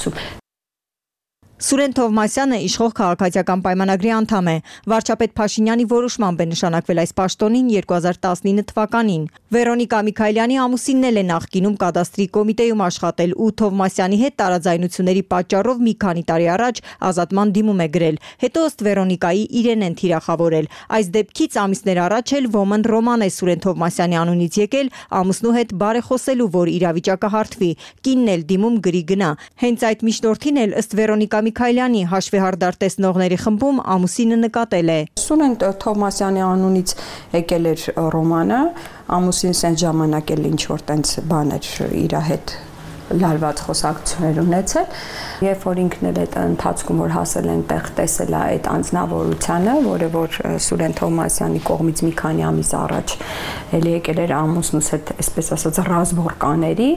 Սուրեն Թովմասյանը իշխող քաղաքացիական պայմանագրի անդամ է։ Վարչապետ Փաշինյանի որոշմամբ է նշանակվել այս պաշտոնին 2019 թվականին։ Վերոնիկա Միքայելյանի ամուսինն էլ է նախկինում Կադաստրի կոմիտեում աշխատել ու Թովմասյանի հետ տարաձայնությունների պատճառով մի քանի տարի առաջ ազատման դիմում է գրել։ Հետո ըստ Վերոնիկայի իրեն են թիրախավորել։ Այս դեպքից ամիսներ առաջ էլ ոմն Ռոման է Սուրեն Թովմասյանի անունից եկել ամուսնու հետ բարեխոսելու, որ իրավիճակը հարթվի։ Կինն էլ դիմում գրի գնա։ Հենց այդ միջնորդին էլ ըստ Վերոնիկա Միքայելյանի հաշվեհարդար տեսնողների խմբում ամուսինը նկատել է։ Սուրեն Թովմասյանի անունից եկել էր Ռոմանը, ամուսինս այն ժամանակ էլ ինչ որ տենց բաներ իր հետ լարված խոսակցություններ ունեցել, երբ որ ինքն էլ այդ ընթացքում որ հասել են տեղ տեսել է այդ անձնավորությունը, որը որ Սուրեն Թովմասյանի կողմից մի քանի ամիս առաջ էլ եկել էր ամուսնուս հետ, այսպես ասած, ռազմորկաների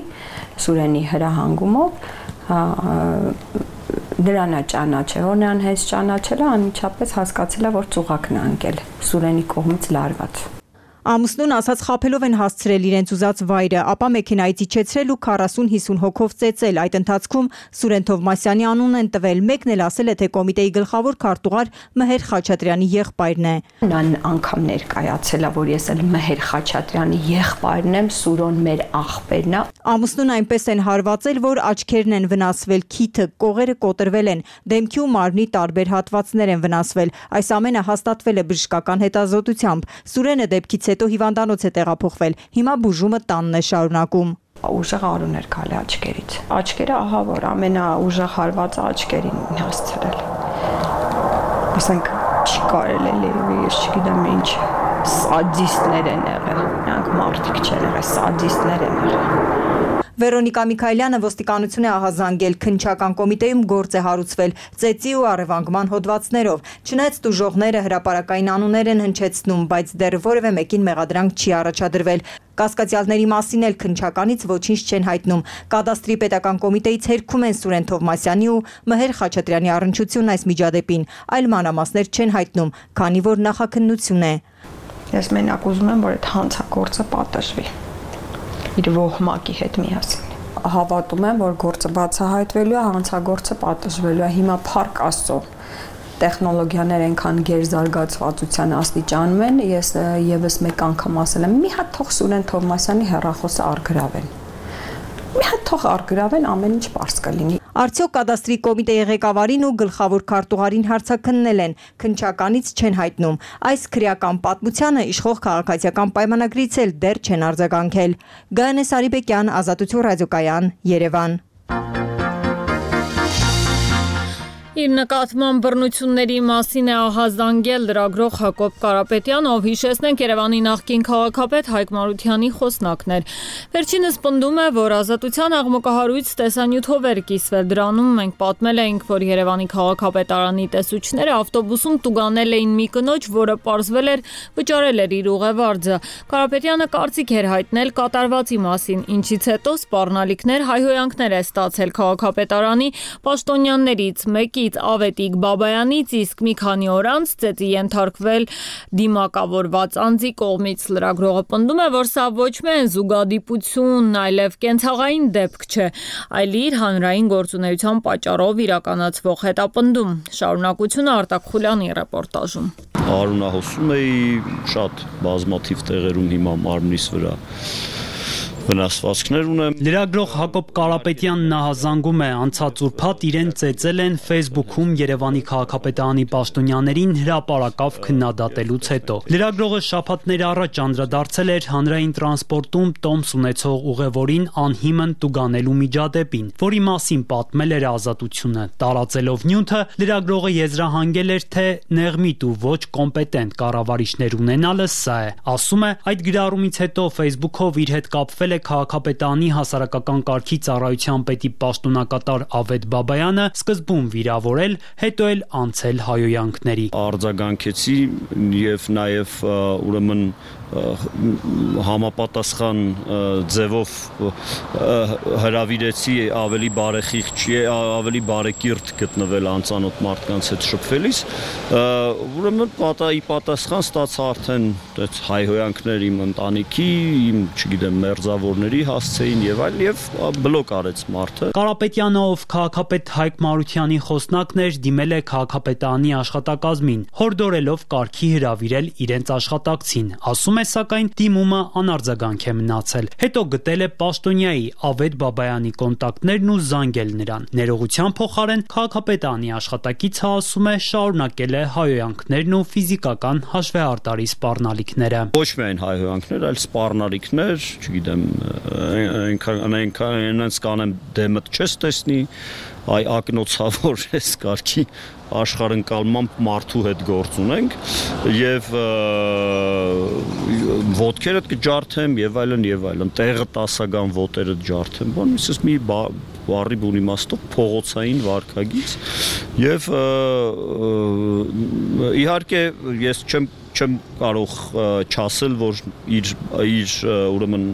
Սուրենի հրահանգումով, դրան է ճանաչել, որ նրան հենց ճանաչել է, անմիջապես հասկացել է, որ ծուղակն է ընկել Սուրենի կողմից լարված։ Ամուսնուն ասած խաբելով են հասցրել իրենց ուզած վայրը, ապա մեքենայից իջեցրել ու 40-50 հոգով ծեծել։ Այդ ընթացքում Սուրեն Թովմասյանի անունն են տվել, մեկն էլ ասել է, թե կոմիտեի գլխավոր քարտուղար Մհեր Խաչատրյանի եղբայրն է։ Նա անգամ ներկայացել է, որ ես էլ Մհեր Խաչատրյանի եղբայրն եմ, Սուրոն մեր աղբերն է։ Ամուսնուն այնպես են հարվածել, որ աչքերն են վնասվել, քիթը, կողերը կոտրվել են, դեմքի ու մարմնի տարբեր հատվածներ են վնասվել։ Այս ամենը հաստատվել է բժշկական հետազոտությամբ։ Սուրենը դեպքից հետո հիվանդանոց է տեղափոխվել։ Հիմա բուժումը տանն է շարունակում։ Ուժեղ արուն էր գալի աչքերից։ Աչքերը ահա որ ամենաուժեղ հարվածը աչքերին հասցրել։ Ասենք չի կարել էլի, ես չգիտեմ ինչ սադիստներ են եղել։ Նրանք մարդիկ չեն եղել, սադիստներ են եղել։ Վերոնիկա Միքայելյանը ոստիկանություն է ահազանգել, քննչական կոմիտեում գործ է հարուցվել ծեծի ու առևանգման հոդվածներով։ Չնայած տուժողները հրապարակային անուններ են հնչեցնում, բայց դեռ որևէ մեկին մեղադրանք չի առաջադրվել։ Կասկածյալների մասին էլ քննչականից ոչինչ չեն հայտնում։ Կադաստրի պետական կոմիտեից հերքում են Սուրեն Թովմասյանի ու Մհեր Խաչատրյանի առնչությունն այս միջադեպին, այլ մանրամասներ չեն հայտնում, քանի որ նախաքննություն է։ Ես մենակ ուզում եմ, որ այդ հանցագործը պատժվի իր ոհմակի հետ միասին։ Հավատում եմ, որ գործը բացահայտվելու է, հանցագործը պատժվելու է։ Հիմա փառք Աստծո տեխնոլոգիաներ այնքան գերզարգացվածության աստիճանում են, ես եւս մեկ անգամ ասել եմ, մի հատ թող Սուրեն Թովմասյանի հեռախոսը առգրավեն։ Մի հատ թող առգրավեն, ամեն ինչ պարզ կլինի։ Արդյոք կադաստրի կոմիտեի ղեկավարին ու գլխավոր քարտուղարին հարցաքննել են, քննչականից չեն հայտնում։ Այս քրեական պատմությանը իշխող քաղաքացիական պայմանագրից էլ դեռ չեն արձագանքել։ Գայանե Սարիբեկյան, Ազատություն ռադիոկայան, Երևան։ Իր նկատմամբ բռնությունների մասին է ահազանգել լրագրող Հակոբ Կարապետյանը, ով հիշեցնենք Երևանի նախկին քաղաքապետ Հայկ Մարությանի խոսնակներ։ Վերջինս պնդում է, որ Ազատության աղմկահարույց տեսանյութով էր կիսվել։ Դրանում մենք պատմել էինք, որ Երևանի քաղաքապետարանի տեսուչները ավտոբուսում տուգանել էին մի կնոջ, որը պարզվել էր վճարել էր իր ուղևարձը։ Կարապետյանը կարծիք էր հայտնել կատարվածի մասին, ինչից հետո սպառնալիքներ, հայհոյանքներ է ստացել քաղաքապետարանի պաշտոնյաններից մեկի Ավետիք Բաբայանից, իսկ մի քանի օր անց ծեծի ենթարկվել դիմակավորված անձի կողմից։ Լրագրողը պնդում է, որ սա ոչ միայն զուգադիպություն, այլև կենցաղային դեպք չէ, այլ իր հանրային գործունեության պատճառով իրականացվող հետապնդում։ Շարունակությունը Արտակ Խուլյանի ռեպորտաժում։ Արունահոսում էի շատ բազմաթիվ տեղերում հիմա մարմնիս վրա վնասվածքներ ունեմ։ Լրագրող Հակոբ Կարապետյանն ահազանգում է, անցած ուրբաթ իրեն ծեծել են Facebook-ում Երևանի քաղաքապետարանի պաշտոնյաներին հրապարակավ քննադատելուց հետո։ Լրագրողը շաբաթներ առաջ անդրադարձել էր հանրային տրանսպորտում տոմս ունեցող ուղևորին անհիմն տուգանելու միջադեպին, որի մասին պատմել էր Ազատությունը։ Տարածելով նյութը, լրագրողը եզրահանգել էր, թե նեղմիտ ու ոչ կոմպետենտ կառավարիչներ ունենալը սա է։ Ասում է, այդ գրառումից հետո Facebook-ով իր հետ կապվել է քաղաքապետարանի հասարակական կարգի ծառայության պետի պաշտոնակատար Ավետ Բաբայանը, սկզբում վիրավորել, հետո էլ անցել հայոյանքների։ Արձագանքեցի եւ նաեւ ուրեմն համապատասխան ձևով հրավիրեցի ավելի բարեխիղճ, ավելի բարեկիրթ գտնվել անծանոթ մարդկանց հետ շփվելիս, ուրեմն պատասխան ստացա արդեն այդ հայհոյանքներ իմ ընտանիքի, իմ, չգիտեմ, մերձավորների հասցեին եւ այլ եւ բլոկ արեց մարդը։ Կարապետյանը, ով քաղաքապետ Հայկ Մարությանի խոսնակն էր, դիմել է քաղաքապետարանի աշխատակազմին, հորդորելով կարգի հրավիրել իրենց աշխատակցին։ Ասում է, սակայն դիմումը անարձագանք է մնացել։ Հետո գտել է պաշտոնյայի Ավետ Բաբայանի կոնտակտներն ու զանգել նրան։ Ներողության փոխարեն քաղաքապետարանի աշխատակիցը ասում է, շարունակել է հայհոյանքներն ու ֆիզիկական հաշվեհարտարի սպառնալիքները։ Ոչ միայն հայհոյանքներ, այլ սպառնալիքներ, չգիտեմ, այնքան կանեմ դեմդ չես տեսնի, այ ակնոցավոր ես կարգի աշխարհընկալմամբ մարդու հետ գործ ունենք եւ ոտքերդ կջարդեմ եւ այլն, տեղը տասական ոտերդ ջարդեմ, բան իսես մի բարի բուն իմաստով փողոցային վարքագիծ եւ իհարկե ես չեմ չեմ կարող չասել, որ իր ուրեմն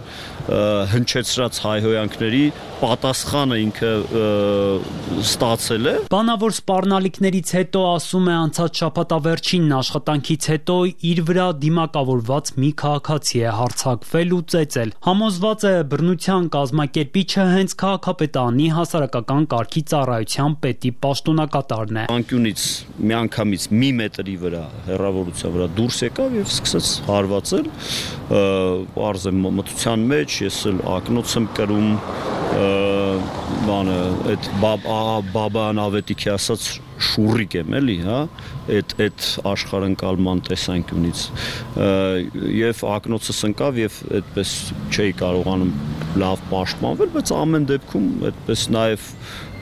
հնչեցրած հայհոյանքների պատասխանը ինքը ստացել է։ Բանավոր սպառնալիքներից հետո, ասում է, անցած շաբաթավերջին աշխատանքից հետո իր վրա դիմակավորված մի քաղաքացի է հարձակվել ու ծեծել։ Համոզված է բռնության կազմակերպիչը հենց քաղաքապետարանի հասարակական կարգի ծառայության պետի պաշտոնակատարն է։ Անկյունից միանգամից մի մետրի վրա հեռավորության վրա դուրս եկավ եւ սկսեց հարվածել, արզ է մտության մեջ, ես էլ ակնոց եմ կրում, բանը այդ բաբան ավետիքի ասած շուրիկ եմ էլի, հա, այդ աշխարհընկալման տեսանկյունից եւ ակնոցս ընկավ եւ այդպես չէի կարողանում լավ պաշտպանվել, բայց ամեն դեպքում այդպես նաեւ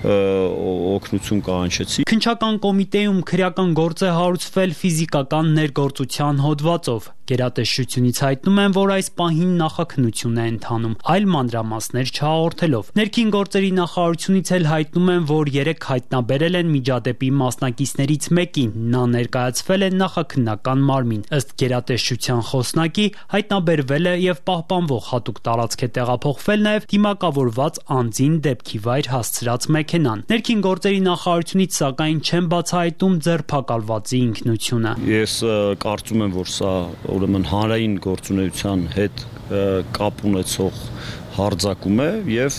օգնություն կանչեցի։ Քննչական կոմիտեում քրեական գործ է հարուցվել ֆիզիկական ներգործության հոդվածով։ Գերատեսչությունից հայտնում են, որ այս պահին նախաքննություն է ընթանում, այլ մանրամասներ չհաղորդելով։ Ներքին գործերի նախարարությունից էլ հայտնում են, որ 3 հայտնաբերել են միջադեպի մասնակիցներից մեկին, նա ներկայացվել է նախաքննական մարմին։ Ըստ գերատեսչության խոսնակի, հայտնաբերվել է եւ պահպանվող հատուկ տարածք է տեղափոխվել նաեւ դիմակավորված անձին դեպքի վայր հասցրած մեքենան։ Ներքին գործերի նախարարությունից սակայն չեն բացահայտում ձերբակալվածի ինքնությունը։ Ես կարծում եմ, որ սա ուրեմն հանրային գործունեության հետ կապ ունեցող հարձակում է եւ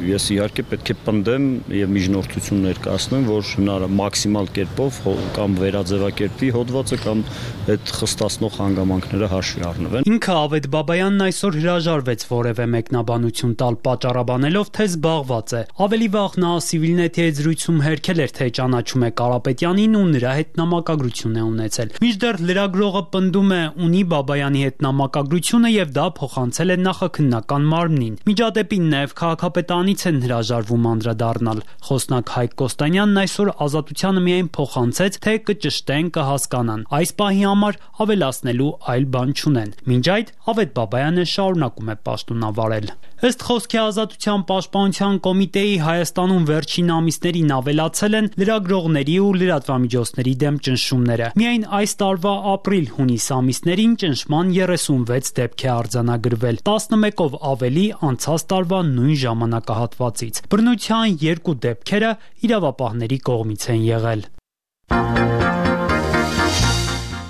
ես իհարկե պետք է պնդեմ եւ միջնորդություն ներկայացնեմ, որ մաքսիմալ կերպով կամ վերաձևակերպի հոդվածը կամ այդ խստացնող հանգամանքները հաշվի առնվեն։ Ինքը Ավետ Բաբայանն այսօր հրաժարվեց որևէ մեկնաբանություն տալ, պատճառաբանելով, թե զբաղված է։ Ավելի վաղ նա Civilnet-ի հետ զրույցում հերքել էր, թե ճանաչում է Կարապետյանին ու նրա հետ նամակագրություն է ունեցել։ Մինչդեռ լրագրողը պնդում է, ունի Բաբայանի հետ նամակագրությունը եւ դա փոխանցել է նախաքննական մարմնին։ Միջադեպին նաև քաղաքապետարանից են հրաժարվում անդրադառնալ։ Խոսնակ Հայկ Կոստանյանն այսօր Ազատությանը միայն փոխանցեց, թե կճշտեն, կհասկանան։ Այս պահի համար ավելացնելու այլ բան չունեն։ Մինչ այդ Ավետ Բաբայանը շարունակում է պաշտոնավարել։ Ըստ խոսքի Ազատության պաշտպանության կոմիտեի Հայաստանում վերջին ամիսներին ավելացել են լրագրողների ու լրատվամիջոցների դեմ ճնշումները։ Միայն այս տարվա ապրիլ-հունիս ամիսներին ճնշման 36 դեպք է արձանագրվել, 11-ով ավելի անցած տարվա նույն ժամանակահատվածից։ Բռնության 2 դեպքերը իրավապահների կողմից են եղել։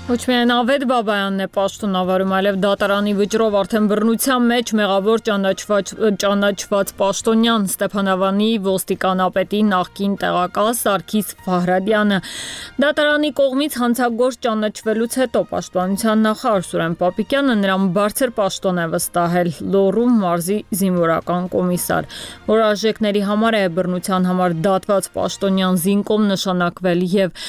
Ոչ միայն Ավետ Բաբայանն է պաշտոնավարում, այլև դատարանի վճռով արդեն բռնության մեջ մեղավոր ճանաչված պաշտոնյան Ստեփանավանի ոստիկանապետի նախկին տեղակալ Սարգիս Ֆահրադյանը։ Դատարանի կողմից հանցագործ ճանաչվելուց հետո պաշտպանության նախարար Սուրեն Պապիկյանը նրան բարձր պաշտոն է վստահել Լոռու մարզի զինվորական կոմիսար, որ արժեքների համար է բռնության համար դատված պաշտոնյան զինկոմ նշանակվել եւ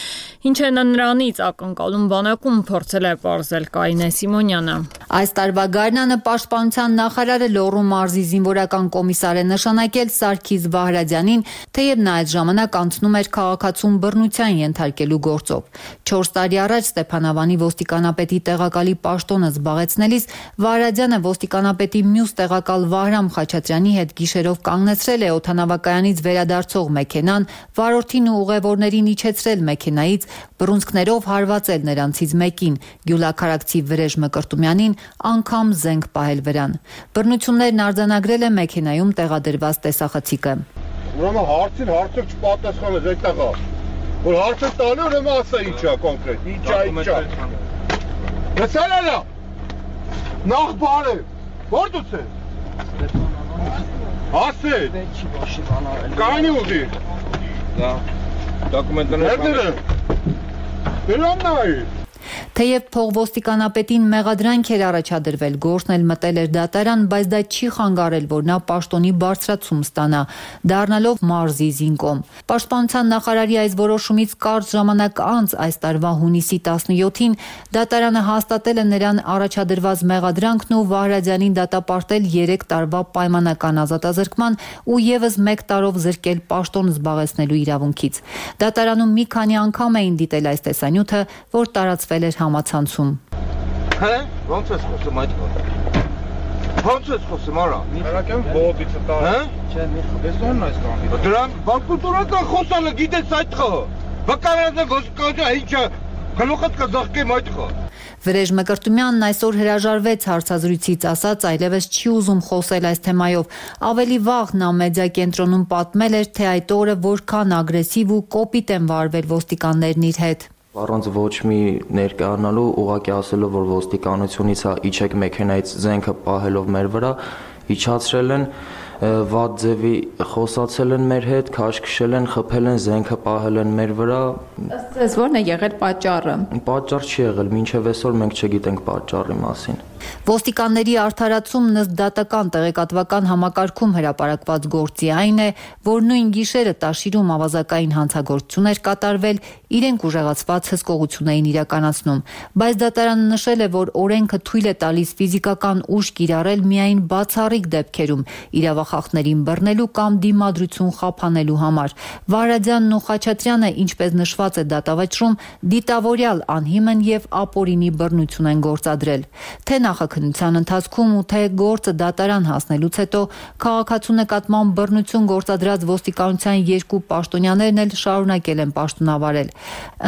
ինչ է նրանից ակնկալում բանակում փորձել է պարզել Կարինե Սիմոնյանը։ Այս տարվա գարնանը պաշտպանության նախարարը Լոռու մարզի զինվորական կոմիսար է նշանակել Սարգիս Վահրադյանին, թեև նա այդ ժամանակ անցնում էր քաղաքացուն բռնության ենթարկելու գործով։ 4 տարի առաջ Ստեփանավանի ոստիկանապետի տեղակալի պաշտոնը զբաղեցնելիս Վահրադյանը ոստիկանապետի մյուս տեղակալ Վահրամ Խաչատրյանի հետ գիշերով կանգնեցրել է օդանավակայանից վերադարձող մեքենան, վարորդին ու ուղևորներին իջեցրել մեքենայից, բռունցքներով հարվածել նրանցից մեկին, Գյուլաքարակցի Վրեժ Մկրտումյանին անգամ զենք պահել վրան։ Բռնություններն արձանագրել է մեքենայում տեղադրված տեսախցիկը։ Ուրեմն հարցին հարցը չպատասխանեց այդտեղա։ Որ հարցը տալու ուրեմն ասա ինչա կոնկրետ, ինչա։ Լսելա։ Նախ բարև։ Որտուց ես։ Ասել։ Կանի ուղի։ Դա դոկումենտները։ Դրաննայ։ Թեև փողոստիկանապետին մեղադրանք էր առաջադրվել, գործն էլ մտել էր դատարան, բայց դա չի խանգարել, որ նա պաշտոնի բարձրացում ստանա, դառնալով մարզի զինկոմ։ Պաշտպանության նախարարի այս որոշումից կարճ ժամանակ անց այս տարվա հունիսի 17-ին դատարանը հաստատել է նրան առաջադրված մեղադրանքն ու Վահրադյանին դատապարտել 3 տարվա պայմանական ազատազրկման ու եւս 1 տարով զրկել պաշտոն զբաղեցնելու իրավունքից։ Դատարանում մի քանի անգամ էին դիտել այս տեսանյութը, որ տարածվել էր համացանցում։ Հե, ո՞նց ես խոսում այդ կողմը։ Ո՞նց ես խոսում, արա։ Հերակեմ բոբիցը տա։ Հե? Չէ, մի խոսում այս կողմից։ Դրան բանկուտորական խոսալը գիտես այդ խո։ Վկայանը ոստիկանությունը ինչա Գլուխդ կզղկեմ այդ խո։ Վրեժ Մկրտումյանն այսօր հրաժարվեց հարցազրույցից, ասաց այլևս չի ուզում խոսել այս թեմայով։ Ավելի վաղ նա մեդիա կենտրոնում պատմել էր, թե այդ օրը որքան ագրեսիվ ու կոպիտ են վարվել ոստիկաններն իր հետ։ Առանց ոչ մի ներկայանալու, ուղղակի ասելով, որ ոստիկանությունից իջեք մեքենայից զենքը պահելով մեր վրա, իջացրել են, վատ ձևի խոսացել են մեր հետ, քաշ քշել են, խփել են, զենքը պահել են մեր վրա։ Ըստ ձեզ ո՞րն է եղել պատճառը։ Պատճառ չի եղել, մինչև այսօր մենք չգիտենք պատճառի մասին։ Ոստիկանների արդարացումն ըստ դատական տեղեկատվական համակարգում հրապարակված գործի այն է, որ նույն գիշերը Տաշիրում ավազակային հանցագործություն էր կատարվել, իրենք ուժեղացված հսկողություն էին իրականացնում, բայց դատարանը նշել է, որ օրենքը թույլ է տալիս ֆիզիկական ուժ կիրառել միայն բացառիկ դեպքերում, իրավախախտներին բռնելու կամ դիմադրություն խափանելու համար։ Վարադյանն ու Խաչատրյանը, ինչպես նշված է դատավճռում, դիտավորյալ անհիմն եւ ապօրինի բռնություն են գործադրել։ Թե նախաքննության ընթացքում ու թե գործը դատարան հասնելուց հետո քաղաքացու նկատմամբ բռնություն գործադրած ոստիկանության երկու պաշտոնյաներն էլ շարունակել են պաշտոնավարել։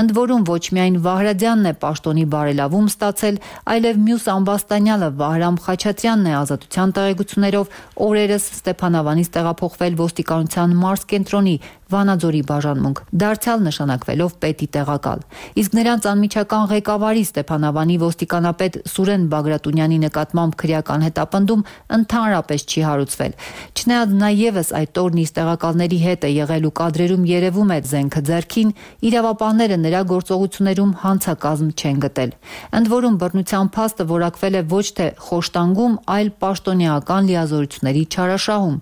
Ընդ որում ոչ միայն Վահրադյանն է պաշտոնի բարելավում ստացել, այլև մյուս ամբաստանյալը Վահրամ Խաչատրյանն է ազատության տեղեկություններով օրերս Ստեփանավանից տեղափոխվել ոստիկանության մարզկենտրոնի Վանաձորի բաժանմունք, դարձյալ նշանակվելով պետի տեղակալ։ Իսկ նրանց անմիջական ղեկավարի Ստեփանավանի ոստիկանապետ Սուրեն Բագրատունյանի նկատմամբ քրեական հետապնդում ընդհանրապես չի հարուցվել։ Չնայած նա ևս այդ օրն իր տեղակալների հետ է եղել ու կադրերում երևում է զենքը ձեռքին, իրավապահները նրա գործողություններում հանցակազմ չեն գտել։ Ընդ որում բռնության փաստը որակվել է ոչ թե խոշտանգում, այլ պաշտոնեական լիազորությունների չարաշահում։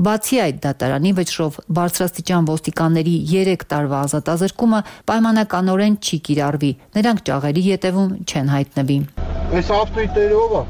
Բացի այդ, դատարանի վճռով բարձրաստիճան ոստիկանների 3 տարվա ազատազրկումը պայմանականորեն չի կիրառվի, նրանք ճաղերի ետևում չեն հայտնվի։ Այս ավտոյները ով է։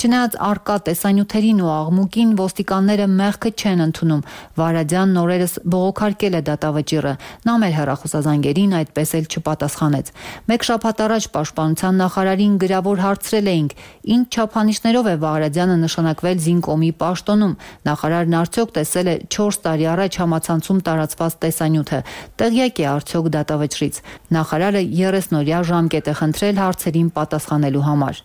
Չնայած առկա տեսանյութերին ու աղմուկին ոստիկանները մեղքը չեն ընդունում։ Վարադյանն օրերս բողոքարկել է դատավճիռը, նա մեր հեռախոսազանգերին այդպես էլ չպատասխանեց։ Մեկ շաբաթ առաջ պաշտպանության նախարարին գրավոր հարցրել էինք, ինչ չափանիշներով է Վարադյանը նշանակվել Զինկոմի պաշտոնում։ Նախարարն արդյոք տեսել է 4 տարի առաջ համացանցում տարածված տեսանյութը, տեղյակ է արդյոք դատավճռից։ Նախարարը 30-օրյա ժամկետ է խնդրել հարցերին պատասխանելու համար։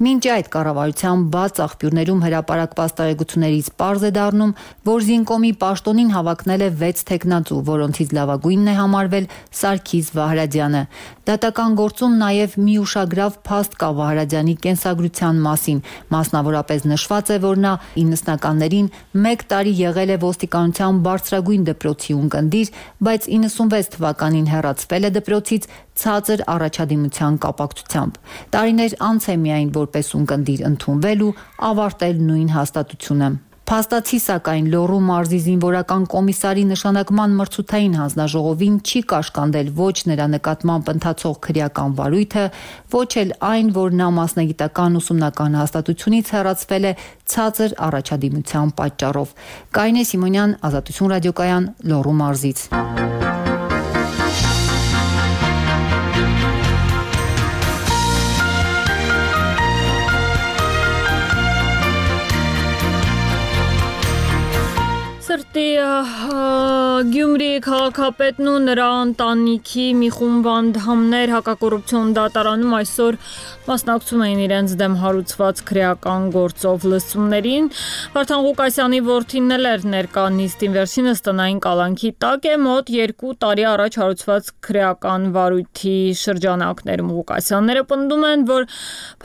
Մինչ այդ կառավարության բաց աղբյուրներում հրապարակված տեղեկություններից պարզ է դառնում, որ Զինկոմի պաշտոնին հավակնել է 6 թեկնածու, որոնցից լավագույնն է համարվել Սարգիս Վահրադյանը։ Դատական գործում նաև մի ուշագրավ փաստ կա Վահրադյանի կենսագրության մասին, մասնավորապես նշված է, որ նա 90-ականներին 1 տարի եղել է ոստիկանության բարձրագույն դպրոցի ունկնդիր, բայց 96 թվականին հեռացվել է դպրոցից ցածր առաջադիմության կապակցությամբ։ Տարիներ անց է միայն որպես ունկնդիր ընդունվել ու ավարտել նույն հաստատությունը։ Փաստացի սակայն Լոռու մարզի զինվորական կոմիսարի նշանակման մրցութային հանձնաժողովին չի կաշկանդել ոչ նրա նկատմամբ ընթացող քրեական վարույթը, ոչ էլ այն, որ նա մասնագիտական ուսումնական հաստատությունից հեռացվել է ցածր առաջադիմության պատճառով։ Կարինե Սիմոնյան, Ազատություն ռադիոկայան, Լոռու մարզից։ Գյումրի քաղաքապետն ու նրա ընտանիքի մի խումբ անդամներ հակակոռուպցիոն դատարանում այսօր մասնակցում էին իրենց դեմ հարուցված քրեական գործով լսումներին։ Վարդան Ղուկասյանի որդին էր ներկա նիստին, վերջինս տնային կալանքի տակ է մոտ 2 տարի առաջ հարուցված քրեական վարույթի շրջանակներում։ Ղուկասյանները պնդում են, որ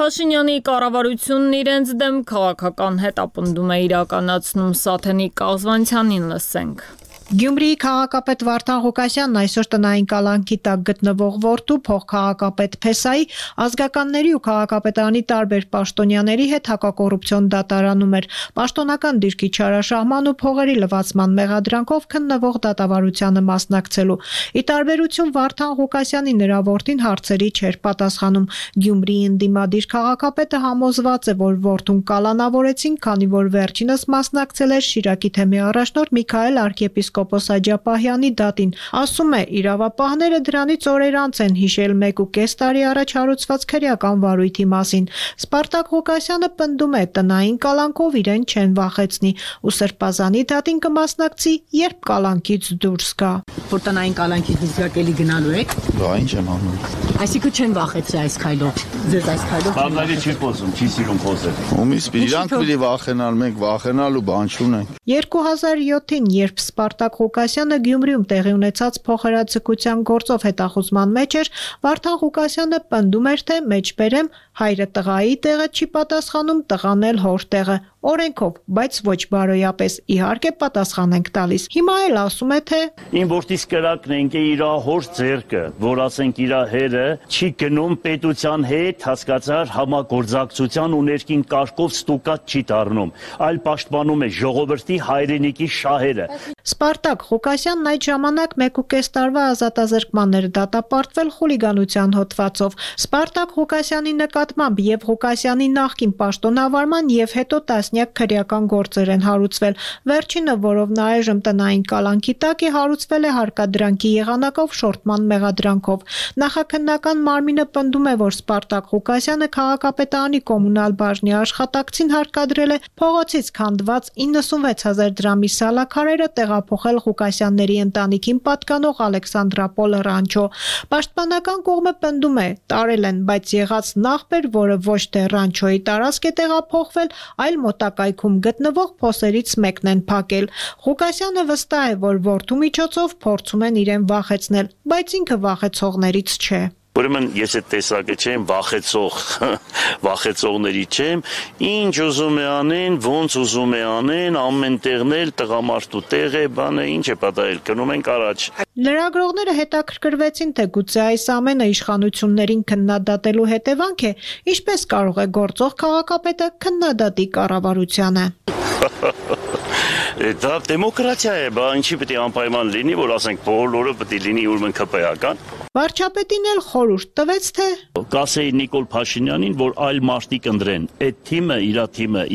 Փաշինյանի կառավարությունն իրենց դեմ քաղաքական հետապնդում է իրականացնում։ Սաթենի Կազվանցյանին լսենք։ Գյումրիի քաղաքապետ Վարդան Ղուկասյանն այսօր տնային կալանքի տակ գտնվող որդու փոխքաղաքապետ Փեսայի ազգականների ու քաղաքապետարանի տարբեր պաշտոնյաների հետ հակակոռուպցիոն դատարանում էր պաշտոնական դիրքի չարաշահման ու փողերի լվացման մեղադրանքով քննվող դատավարությանը մասնակցելու։ Ի տարբերություն Վարդան Ղուկասյանի նրա որդին հարցերի չէր պատասխանում։ Գյումրիի ընդդիմադիր քաղաքապետը համոզված է, որ որդուն կալանավորեցին, քանի որ վերջինս մասնակցել էր Շիրակի թեմի առաջնորդ Միքայել arczepiskopos եպիսկոպոս Աջապահյանի դատին։ Ասում է, իրավապահները դրանից օրեր անց են հիշել 1.5 տարի առաջ հարուցված քրեական վարույթի մասին։ Սպարտակ Ղուկասյանը պնդում է, տնային կալանքով իրեն չեն վախեցնի ու սրբազանի դատին կմասնակցի, երբ կալանքից դուրս գա։ Որ տնային կալանքից դուրս գաք էլի գնալու եք։ Բա ինչ եմ անում։ Այսինքն չեն վախեցրի այս քայլով։ Ձեզ այս քայլով։ Բանալի չի խոսում, չի սիրում խոսել։ Ումից իրանք պիտի վախենալ, մենք վախենալու բան չունենք։ 2007-ին, երբ Սպարտակ Ղուկասյանը Գյումրիում տեղի ունեցած փոխհրաձգության գործով հետախուզման մեջ էր, Վարդան Ղուկասյանը պնդում էր, թե մեջբերեմ հայրը տղայի տեղը չի պատասխանում, տղան էլ հոր տեղը, օրենքով, բայց ոչ բարոյապես, իհարկե պատասխան ենք տալիս։ Հիմա էլ ասում է, թե Իմ որդիս կրակն ենք իր հոր ձեռքը, որ ասենք իր հերը չի գնում պետության հետ, հասկացար, համագործակցության ու ներքին կարգով ստուկած չի դառնում, այլ պաշտպանում է ժողովրդի հայրենիքի շահերը։ Սպարտակ Ղուկասյանն այդ ժամանակ 1.5 տարվա ազատազրկման էր դատապարտվել խուլիգանության հոդվածով։ Սպարտակ Ղուկասյանի նկատմամբ եւ Ղուկասյանի նախկին պաշտոնավարման եւ հետո տասնյակ քրեական գործեր են հարուցվել։ Վերջինը, որով նա այժմ տնային կալանքի տակ է, հարուցվել է հարկադրանքի եղանակով շորտման մեղադրանքով։ Նախաքննական մարմինը պնդում է, որ Սպարտակ Ղուկասյանը քաղաքապետարանի կոմունալ բաժնի աշխատակցին հարկադրել է փողոցից քանդված 96,000 դրամի սալաքարերը տեղափոխել Ղուկասյանների ընտանիքին պատկանող Ալեքսանդրապոլ ռանչո։ Պաշտպանական կողմը պնդում է, տարել են, բայց եղած նախբեր, որը ոչ թե ռանչոյի տարածք է տեղափոխվել, այլ մոտակայքում գտնվող փոսերից մեկն են փակել։ Ղուկասյանը վստահ է, որ որդու միջոցով փորձում են իրեն վախեցնել, բայց ինքը վախեցողներից չէ։ Ուրեմն ես այդ տեսակը չեմ, վախեցողների չեմ, ինչ ուզում է անեն, ոնց ուզում է անեն, ամեն տեղն էլ տղամարդու տեղ է, բանը ինչ է պատահել, գնում ենք առաջ։ Լրագրողները հետաքրքրվեցին, թե գուցե այս ամենը իշխանություններին քննադատելու հետևանք է, ինչպես կարող է գործող քաղաքապետը քննադատի կառավարությանը։ Դա դեմոկրատիա է, բա ինչի պետք է անպայման լինի, որ ասենք բոլորը պետք է լինի ուրեմն ԿՊ-ական։ Վարչապետին էլ խորհուրդ տվեց, թե կասեի Նիկոլ Փաշինյանին, որ այլ մարդիկ ընտրեն, այդ թիմը,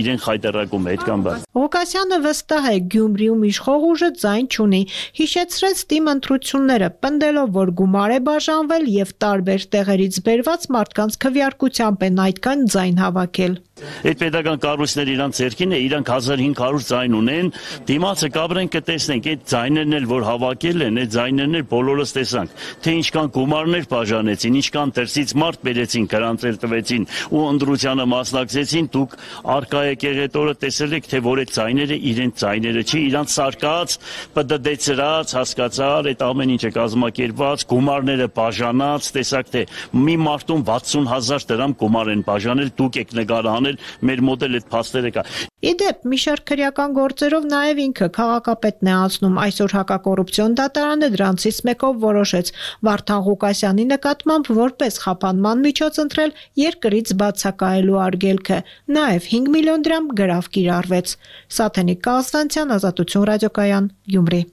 իրեն խայտարակում է, այդքան բան։ Ղուկասյանը վստահ է, Գյումրիում իշխող ուժը ձայն չունի, հիշեցրեց թիմ ընտրությունները, պնդելով, որ գումար է բաժանվել եւ տարբեր տեղերից բերված մարդկանց քվեարկությամբ են այդքան ձայն հավաքել։ Այդ պետական կառույցները իրանց ձեռքին է, իրանք 1500 ձայն ունեն, դիմացը կապրեն կտեսնենք, այդ ձայներն էլ որ հավաքել են, այդ ձայներն էլ բոլորս տեսանք, թե ինչքան գումարներ բաժանեցին, ինչքան դրսից մարդ բերեցին, գրանցել տվեցին ու ընտրությանը մասնակցեցին, դուք արկա եկեղեցորը տեսել եք, թե որ այդ ձայները իրենց ձայները չի, իրանց սարկած, պդդեցրած, հասկացար, այդ ամեն ինչը կազմակերպված, գումարները բաժանած, տեսակ թե մի մարդուն 60,000 դրամ գումար են բաժանել, դուք եք նկարահանել մեր մոտ էլ այդ փաստերը կա։ Իդեպ մի շարք քրեական գործերով նաև ինքը քաղաքապետն է անցնում, այսօր հակակոռուպցիոն դատարանը դրանցից մեկով որոշեց Վարդան Ղուկասյանի նկատմամբ որպես խափանման միջոց ընտրել երկրից բացակայելու արգելքը, նաև 5 միլիոն դրամ գրավ կիրառվեց։ Սաթենիկ Կալստանցյան, Ազատություն ռադիոկայան, Գյումրի։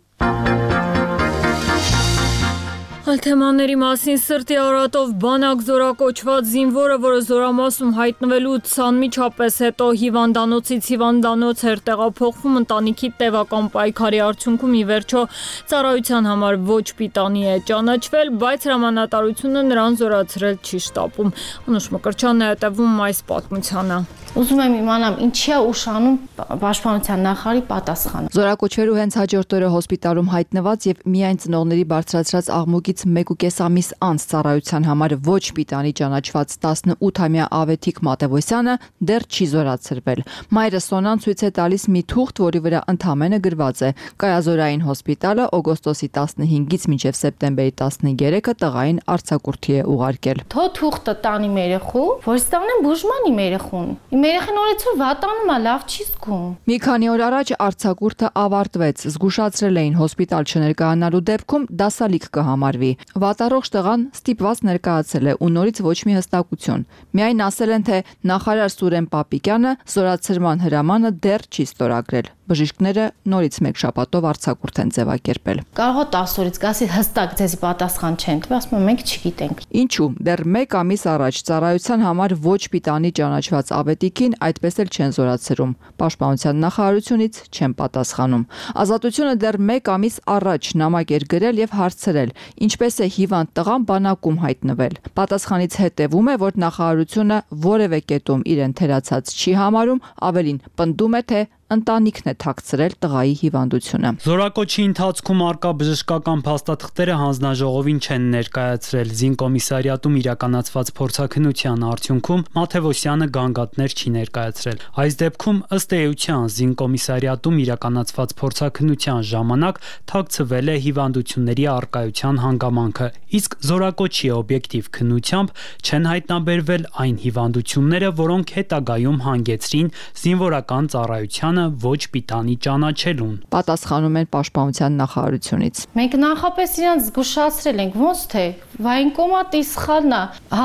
Այլ թեմաների մասին սրտի արատով բանակ զորակոչված զինվորը, որը զորամասում հայտնվելուց անմիջապես հետո հիվանդանոցից հիվանդանոց էր տեղափոխվում, ընտանիքի տևական պայքարի արդյունքում ի վերջո ծառայության համար ոչ պիտանի է ճանաչվել, բայց հրամանատարությունը նրան զորացրել չի շտապում։ Անուշ Մկրտչյանն է հետևում այս պատմությանը։ Ուզում եմ իմանամ ինչի է ուշանում պաշտպանության նախարարի պատասխանը։ Զորակոչվելու հենց հաջորդ օրը հոսպիտալում հայտնված եւ միայն ծնողների բարձրացրած աղմուկից 1.5 ամիս անց ծառայության համար ոչ պիտանի ճանաչված 18-ամյա Ավետիք Մատևոսյանը դեռ չի զորացրվել։ Մայրը Սոնան ցույց է տալիս մի թուղթ, որի վրա ընդամենը գրված է. Կայազորային հոսպիտալը օգոստոսի 15-ից մինչև սեպտեմբերի 13-ը տղային արձակուրդի է ուղարկել։ Թո թուղթը տանի մեր երեխու, որ ստանեն բուժման իմ երեխուն։ Երեխան օրեցօր վատանում է, լավ չի զգում։ Մի քանի օր առաջ արձակուրդը ավարտվեց, զգուշացրել էին հոսպիտալ չներկայանալու դեպքում դասալիք կհամարվի։ կատարվի։ Վատառողջ տղան ստիպված ներկայացել է ու նորից ոչ մի հստակություն։ Միայն ասել են, թե նախարար Սուրեն Պապիկյանը զորացրման հրամանը դեռ չի ստորագրել։ Բժիշկները նորից մեկ շաբաթով արձակուրդ են ձևակերպել։ Կարող է 10 օրից գասի հստակ ձեզի պատասխան չեն տվել, ասում են մենք չգիտենք։ Ինչու՞, դեռ 1 ամիս առաջ ծառայության համար ոչ պիտանի ճանաչված ավետիքին այդպես էլ չեն զորացրում։ Պաշտպանության նախարարությունից չեն պատասխանում։ Ազատությունը դեռ 1 ամիս առաջ նամակ էր գրել եւ հարցրել, ինչպես է հիվանդ տղան բանակում հայտնվել։ Պատասխանից հետևում է, որ նախարարությունը որևէ կետում իրեն թերացած չի համարում, ավելին պնդում է, թե ընտանիքն է թաքցրել տղայի հիվանդությունը։ Զորակոչի ընթացքում արկա բժշկական փաստաթղթերը հանձնաժողովին չեն ներկայացրել։ Զինկոմիսարիատում իրականացված փորձաքննության արդյունքում Մաթևոսյանը գանգատներ չի ներկայացրել։ Այս դեպքում ըստ էության Զինկոմիսարիատում իրականացված փորձաքննության ժամանակ թաքցվել է հիվանդությունների արկայության հանգամանքը, իսկ զորակոչի օբյեկտիվ քննությամբ չեն հայտնաբերվել այն հիվանդությունները, որոնք հետագայում հանգեցրին զինվորական ծառայության ոչ պիտանի ճանաչելուն։ Պատասխանում են Պաշտպանության նախարարությունից։ Մենք նախապես իրանց զգուշացրել ենք, ոնց թե վայնկոմատի սխալն է,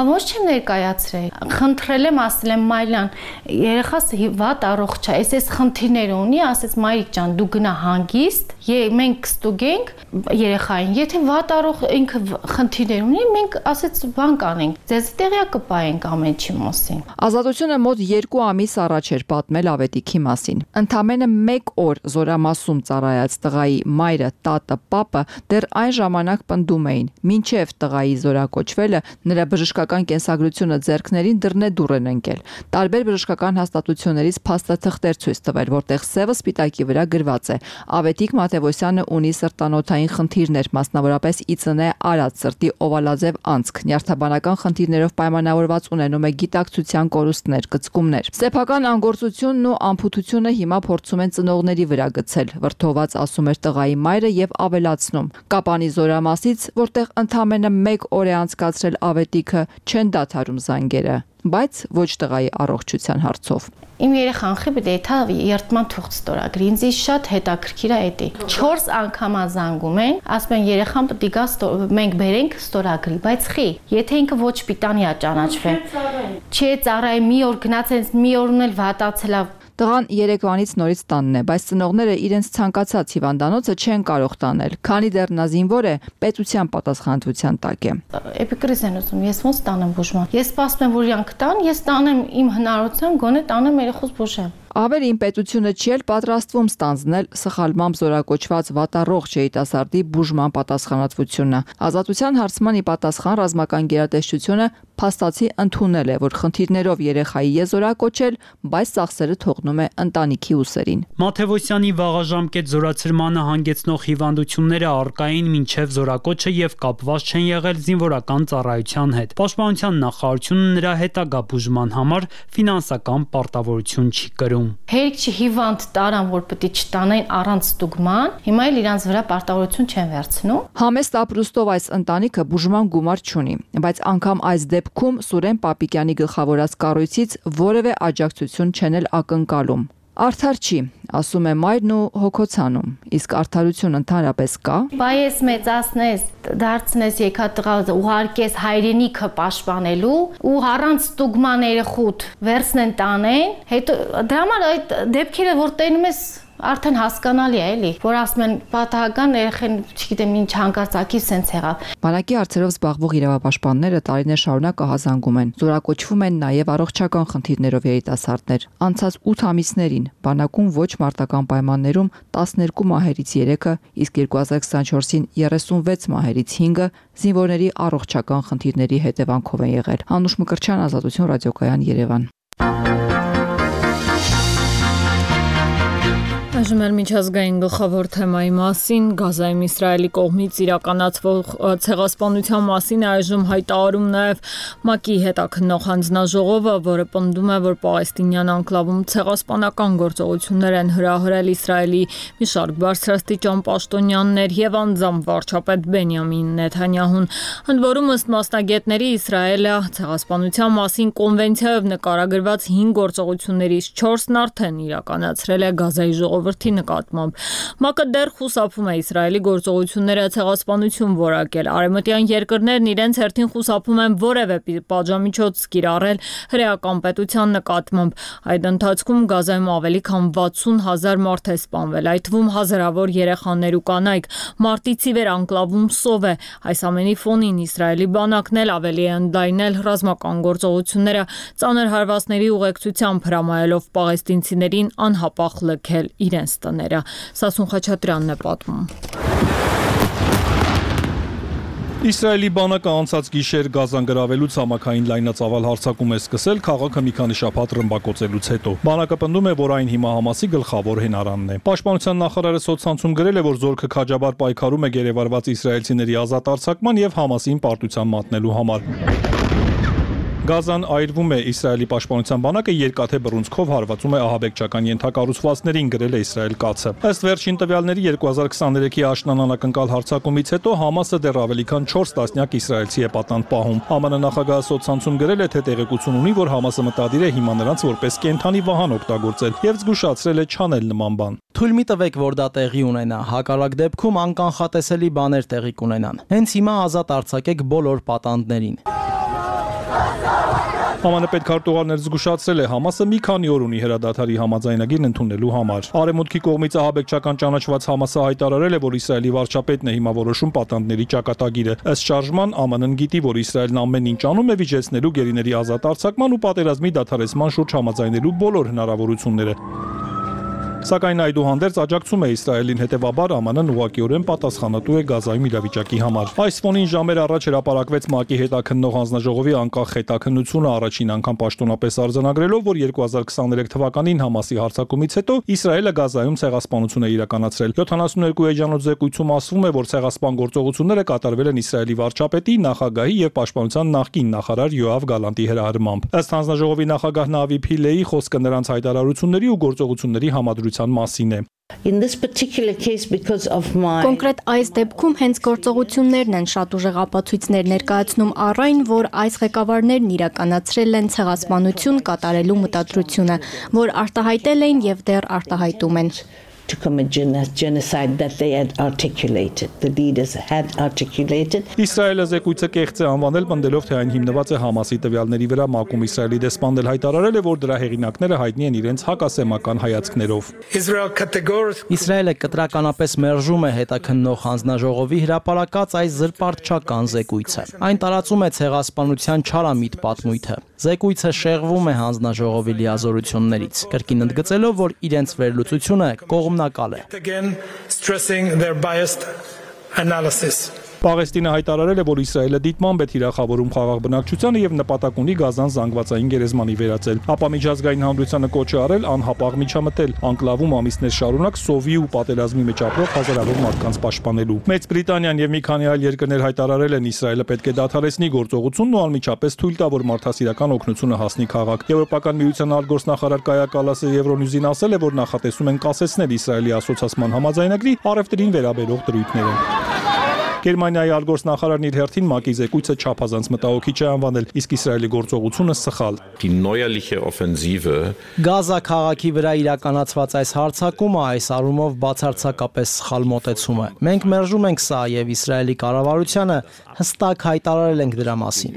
ոնց չեմ ներկայացրել։ Խնդրել եմ, ասել եմ Մայլյան, երեխաս վատ առողջ է, այս խնդիրներ ունի, ասեց մայրիկ ջան, դու գնա հանգիստ, մենք կստուգենք երեխային, եթե վատ առող ինքը խնդիրներ ունի, մենք ասեց բան կանենք, ձեզ տեղյակ կպայենք ամեն ինչի մասին։ Ազատությունը մոտ 2 ամիս առաջ էր պատմել ավետիքի մասին։ Ընդամենը 1 օր զորամասում ծառայած տղայի մայրը, տատը, պապը դեռ այն ժամանակ պնդում էին, մինչև տղայի զորակոչվելը նրա բժշկական կենսագրությունը ձեռքներին դռնեդուռ են ընկել։ Տարբեր բժշկական հաստատություններից փաստաթղթեր ցույց տվել, որտեղ սևը սպիտակի վրա գրված է. Ավետիք Մաթևոսյանը ունի սրտանոթային խնդիրներ, մասնավորապես ԻՑՆ արած սրտի օվալաձև անցք, նյարդաբանական խնդիրներով պայմանավորված ունենում է գիտակցության կորուստներ, կծկումներ։ Սեփական անգործությունն ու ամփոփությունը հիմա փորձում են ծնողների վրա գցել, վրդոված ասում էր տղայի մայրը եւ ավելացնում. Կապանի զորամասից, որտեղ ընդամենը 1 օր է անցկացրել ավետիքը, չեն դադարում զանգերը, բայց ոչ տղայի առողջության հարցով։ Իմ երեխան խիբի դեթա երթման թուղթ ստորագրի, ինձ շատ հետաքրքիր է դա։ 4 անգամ զանգում են, ասում են երեխան պետք է գա մենք բերենք ստորագրի, բայց խի, եթե ինքը ոչ պիտանի է ճանաչվել։ Չէ, ծառայի մի օր գնաց, մի օրն էլ վատացել է։ Տղան Երևանից նորից տանն է, բայց ծնողները իրենց ցանկացած հիվանդանոցը չեն կարող տանել, քանի դեռ նա զինվոր է, պետության պատասխանատվության տակ է։ Էպիկրիզ են ուզում, ես ոնց տանեմ բուժման։ Ես սպասում եմ, որ իրանք տան, ես տանեմ իմ հնարավորությամբ, գոնե տանեմ երեխուս բուժեմ։ Ավելին պետությունը չի էլ պատրաստվում ստանձնել սխալմամբ զորակոչված վատառողջ երիտասարդի բուժման պատասխանատվությունը։ Ազատության հարցման ի պատասխան ռազմական գերատեսչությունը փաստացի ընդունել է, որ խնդիրներով երեխայի է զորակոչել, բայց ծախսերը թողնում է ընտանիքի ուսերին։ Մաթևոսյանի վաղաժամկետ զորացրմանը հանգեցնող հիվանդությունները արկային մինչև զորակոչը եւ կապված չեն եղել զինվորական ծառայության հետ։ Պաշտպանության նախարարությունը նրա հետագա բուժման համար ֆինանսական պարտավորություն չի կրում։ Հերիք չի հիվանդ տարան, որ պետք է չտանեն առանց ստուգման, հիմա էլ իրանց վրա պարտավորություն չեն վերցնում։ Համեստ ապրուստով այս ընտանիքը բուժման գումար չունի, բայց անգամ այս դեպքում Սուրեն Պապիկյանի գլխավորած կառույցից որևէ աջակցություն չեն էլ ակնկալում։ Արդար չի, ասում է մայրն ու հոգոցանում, իսկ արդարություն ընդհանրապես կա։ Բայց մեծացնես, դարձնես եկատղա ուղարկես հայրենիքը պաշտպանելու ու առանց ստուգման երեխուդ վերցնեն տանեն, հետո դրա համար այդ դեպքերը որ տենում ես արդեն հասկանալի է էլի, որ ասում են պատահական երեխեն, չգիտեմ ինչ հանկարծակի սենց եղավ։ Բանակի հարցերով զբաղվող իրավապաշտպանները տարիներ շարունակ ահազանգում են, զորակոչվում են նաև առողջական խնդիրներով երիտասարդներ։ Անցած 8 ամիսներին բանակում ոչ մարտական պայմաններում 12 մահերից 3-ը, իսկ 2024-ին 36 մահերից 5-ը զինվորների առողջական խնդիրների հետևանքով են եղել։ Անուշ Մկրտչյան, Ազատություն ռադիոկայան, Երևան։ Այժմ էլ միջազգային գլխավոր թեմայի մասին, Գազայում Իսրայելի կողմից իրականացվող ցեղասպանության մասին այժմ հայտարարում նաև ՄԱԿ-ի հետաքննող հանձնաժողովը, որը պնդում է, որ պաղեստինյան անկլավում ցեղասպանական գործողություններ են հրահրել Իսրայելի մի շարք բարձրաստիճան պաշտոնյաներ եւ անձամբ վարչապետ Բենյամին Նեթանյահուն։ Ընդ որում, ըստ մասնագետների, Իսրայելը ցեղասպանության մասին կոնվենցիայով նկարագրված 5 գործողություններից 4-ն արդեն իրականացրել է Գազայի ժողովրդի ժողովրդի նկատմամբ։ ՄԱԿ-ը դեռ խուսափում է Իսրայելի գործողությունները ցեղասպանություն որակել։ Արևմտյան երկրներն իրենց հերթին խուսափում են որևէ պատժամիջոց կիրառել հրեական պետության նկատմամբ։ Այդ ընթացքում Գազայում ավելի քան 60,000 մարդ է սպանվել, այդ թվում հազարավոր երեխաներ ու կանայք։ Մարտից ի վեր անկլավում սով է։ Այս ամենի ֆոնին Իսրայելի բանակն էլ ավելի է ընդլայնել ռազմական գործողությունները, ծանր հարվածների ուղեկցությամբ հրամայելով պաղեստինցիներին անհապաղ լքել իրենց տները։ Սասուն Խաչատրյանն է պատմում։ Իսրայելի բանակը անցած գիշեր Գազան գրավելուց համակային լայնածավալ հարձակում է սկսել քաղաքը մի քանի շաբաթ ռմբակոծելուց հետո։ Բանակը պնդում է, որ այն հիմա Համասի գլխավոր հենարանն է։ Պաշտպանության նախարարը սոցցանցում գրել է, որ զորքը քաջաբար պայքարում է գերեվարված իսրայելցիների ազատ արձակման եւ Համասին պարտության մատնելու համար։ Գազան այրվում է, Իսրայելի պաշտպանության բանակը երկաթե բռունցքով հարվածում է ահաբեկչական ենթակառուցվածքներին, գրել է Իսրայել Կացը։ Ըստ վերջին տվյալների 2023-ի աշնան անակնկալ հարձակումից հետո Համասը դեռ ավելի քան 4 տասնյակ իսրայելցի է պատանդ պահում։ ԱՄՆ նախագահը սոցցանցում գրել է, թե տեղեկություն ունի, որ Համասը մտադիր է հիմա նրանց որպես կենդանի վահան օգտագործել եւ զգուշացրել է չանել նման բան։ Թույլ մի տվեք, որ դա տեղի ունենա, հակառակ դեպքում անկանխատեսելի բաներ տեղի կունենան։ Հենց հիմա ազատ արձակեք բոլոր պատանդներին։ ԱՄՆ պետքարտուղարներ զգուշացրել է Համասը մի քանի օր ունի հրադադարի համաձայնագիրն ընդունելու համար։ Արևմուտքի կողմից ահաբեկչական ճանաչված Համասը հայտարարել է, որ Իսրայելի վարչապետն է հիմա որոշում պատանդների ճակատագիրը։ Ըստ շարժման ԱՄՆ-ն գիտի, որ Իսրայելն ամեն ինչ անում է վիճեցնելու գերիների ազատ արձակման ու պատերազմի դադարեցման շուրջ համաձայնելու բոլոր հնարավորությունները։ Սակայն այդուհանդերձ աջակցում է Իսրայելին, հետևաբար ԱՄՆ-ն ուղղակիորեն պատասխանատու է Գազայում իրավիճակի համար։ Այս ֆոնին ժամեր առաջ հրապարակվեց ՄԱԿ-ի հետաքննող հանձնաժողովի անկախ հետաքննությունը, առաջին անգամ պաշտոնապես արձանագրելով, որ 2023 թվականին Համասի հարձակումից հետո Իսրայելը Գազայում ցեղասպանություն է իրականացրել։ 72 էջանոց զեկույցում ասվում է, որ ցեղասպան գործողությունները կատարվել են Իսրայելի վարչապետի, նախագահի եւ պաշտպանության նախկին նախարար Յոավ Գալանտի հրահրմամբ։ Ըստ հանձնաժողովի նախագահ Նավի Փիլեի խոսքը նրանց հայտարարությունների ու գործողությունների համադրության մասին է։ Կոնկրետ այս դեպքում հենց գործողություններն են շատ ուժեղ ապացույցներ ներկայացնում առ այն, որ այս ղեկավարներն իրականացրել են ցեղասպանություն կատարելու մտադրությունը, որ արտահայտել էին եւ դեռ արտահայտում են։ To commit genocide that they had articulated. The leaders had articulated. Իսրայելը զեկույցը կեղծ է անվանել, պնդելով, թե այն հիմնված է Համասի տվյալների վրա։ ՄԱԿ-ում Իսրայելի դեսպանն էլ հայտարարել է, որ դրա հեղինակները հայտնի են իրենց հակասեմական հայացքներով։ Իսրայելը կտրականապես մերժում է հետաքննող հանձնաժողովի հրապարակած այս զրպարտչական զեկույցը։ Այն տարածում է ցեղասպանության չարամիտ պատմույթը։ Զեկույցը շեղվում է հանձնաժողովի լիազորություններից, կրկին ընդգծելով, որ իրենց վերլուծությունը կողմնակալ է։ Պաղեստինը հայտարարել է, որ Իսրայելը դիտմամբ է թիրախավորում խաղաղ բնակչությանը եւ նպատակ ունի Գազան զանգվածային գերեզմանի վերածել։ Ապա միջազգային հանրությանը կոչ է արել անհապաղ միջամտել, անկլավում ամիսներ շարունակ սովի ու պատերազմի մեջ ապրող հազարավոր մարդկանց պաշտպանելու։ Մեծ Բրիտանիան եւ մի քանի այլ երկրներ հայտարարել են, Իսրայելը պետք է դադարեցնի գործողությունն ու անմիջապես թույլ տա, որ մարդասիրական օգնությունը հասնի քաղաք։ Եվրոպական միության արտգործնախարար Կայա Կալասը Եվրոնյուզին ասել է, որ նախատեսում են կասեցնել Իսրայելի ասոցիացման համաձայնագրի առևտրին վերաբերող դրույթները։ Գերմանիայի արտգործնախարարն իր հերթին ՄԱԿ-ի զեկույցը չափազանց մտահոգիչ է անվանել, իսկ Իսրայելի գործողությունը սխալ։ Գազա քաղաքի վրա իրականացված այս հարձակումը այս առումով բացարձակապես սխալ մոտեցում է։ Մենք մերժում ենք սա եւ Իսրայելի կառավարությանը հստակ հայտարարել ենք դրա մասին։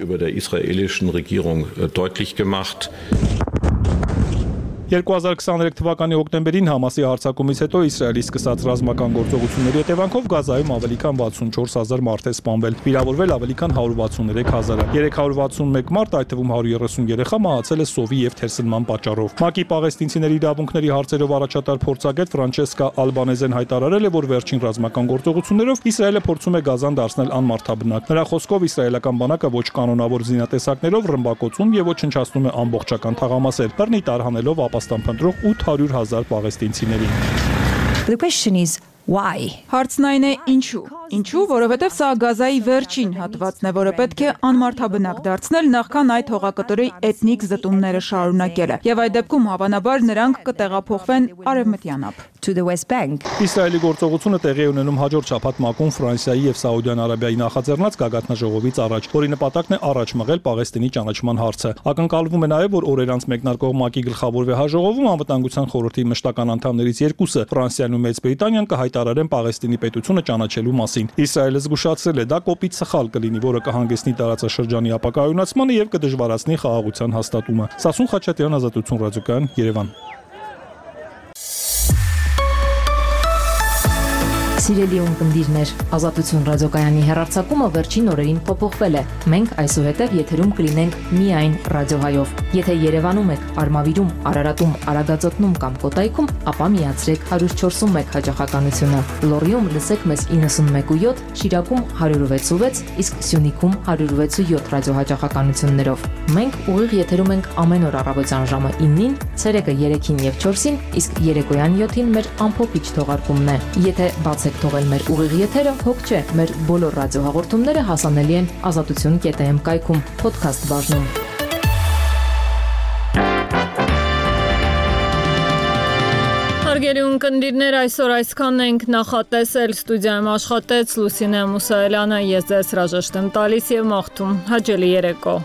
2023 թվականի հոկտեմբերին Համասի հարձակումից հետո Իսրայելի սկսած ռազմական գործողությունների հետևանքով Գազայում ավելի քան 64000 մարդ է սպանվել, վիրավորվել ավելի քան 163000-ը։ 361 մարդ, այդ թվում 130 երեխա մահացել է սովի եւ թերսնման պատճառով։ ՄԱԿ-ի պաղեստինցիների իրավունքների հարցերով առաջատար փորձագետ Ֆրանչեսկա Ալբանեզեն հայտարարել է, որ վերջին ռազմական գործողություններով Իսրայելը փորձում է Գազան դարձնել անմարդաբնակ։ Նրա խոսքով իսրայելական բանակը ոչ կանոնավոր զինատեսակներով ռմբակոծում եւ ոչնչացնում է ամբողջական թաղամասեր, բռնի տարհանելով ապաստանփնտրող 800,000 պաղեստինցիներին։ The question is why? Հարցն այն է ինչու։ Ինչու, որովհետև սա Գազայի վերջին հատվածն է, որը պետք է անմարդաբնակ դարձնել, նախքան այդ հողակտորի էթնիկ զտումները շարունակելը։ Եվ այդ դեպքում հավանաբար նրանք կտեղափոխվեն արևմտյան ափ։ to the West Bank. Իսրայելի գործողությունը տեղի է ունենում հաջորդ շաբաթ ՄԱԿ-ում Ֆրանսիայի եւ Սաուդյան Արաբիայի նախաձեռնած գագաթնաժողովից առաջ, որի նպատակն է առաջ մղել Պաղեստինի ճանաչման հարցը։ Ակնկալվում է նաեւ, որ օրեր անց մեկնարկող ՄԱԿ-ի գլխավոր վեհաժողովում անվտանգության խորհրդի մշտական անդամներից երկուսը՝ Ֆրանսիան ու Մեծ Բրիտանիան կհայտարարեն Պաղեստինի պետությունը ճանաչելու մասին։ Իսրայելը զգուշացրել է, դա կոպիտ սխալ կլինի, որը կհանգեցնի տարածաշրջանի ապակայունացմանը եւ կդժվարացնի խաղաղության հաստատումը։ Սասուն Խաչատրյան, Ազատություն ռադիոկայան, Երևան։ Սիրելի ունկնդիրներ, Ազատություն ռադիոկայանի հեռարձակումը վերջին օրերին փոփոխվել է։ Մենք այսուհետև եթերում կլինենք միայն ռադիոհայով։ Եթե Երևանում եք, Արմավիրում, Արարատում, Արագածոտնում կամ Կոտայքում, ապա միացրեք 104.1 հաճախականությունը։ Լոռիում լսեք մեզ 91.7, Շիրակում 106.6, իսկ Սյունիքում 106.7 ռադիոհաճախականություններով։ Մենք ուղիղ եթերում ենք ամեն օր առավոտյան ժամը 9-ին, ցերեկը 3-ին եւ 4-ին, իսկ երեկոյան 7-ին մեր ամփոփիչ թողարկումն է։ Եթե բացեք թողել մեր ուղիղ եթերը, հոգ չէ, մեր բոլոր ռադիոհաղորդումները հասանելի են azatutun.am կայքում, podcast բաժնում։ Հարգելի ունկնդիրներ, այսօր այսքանն ենք նախատեսել, ստուդիայում աշխատեց Լուսինե Մուսայելյանը, ես ձեզ հրաժեշտ եմ տալիս եւ մաղթում հաճելի երեկո։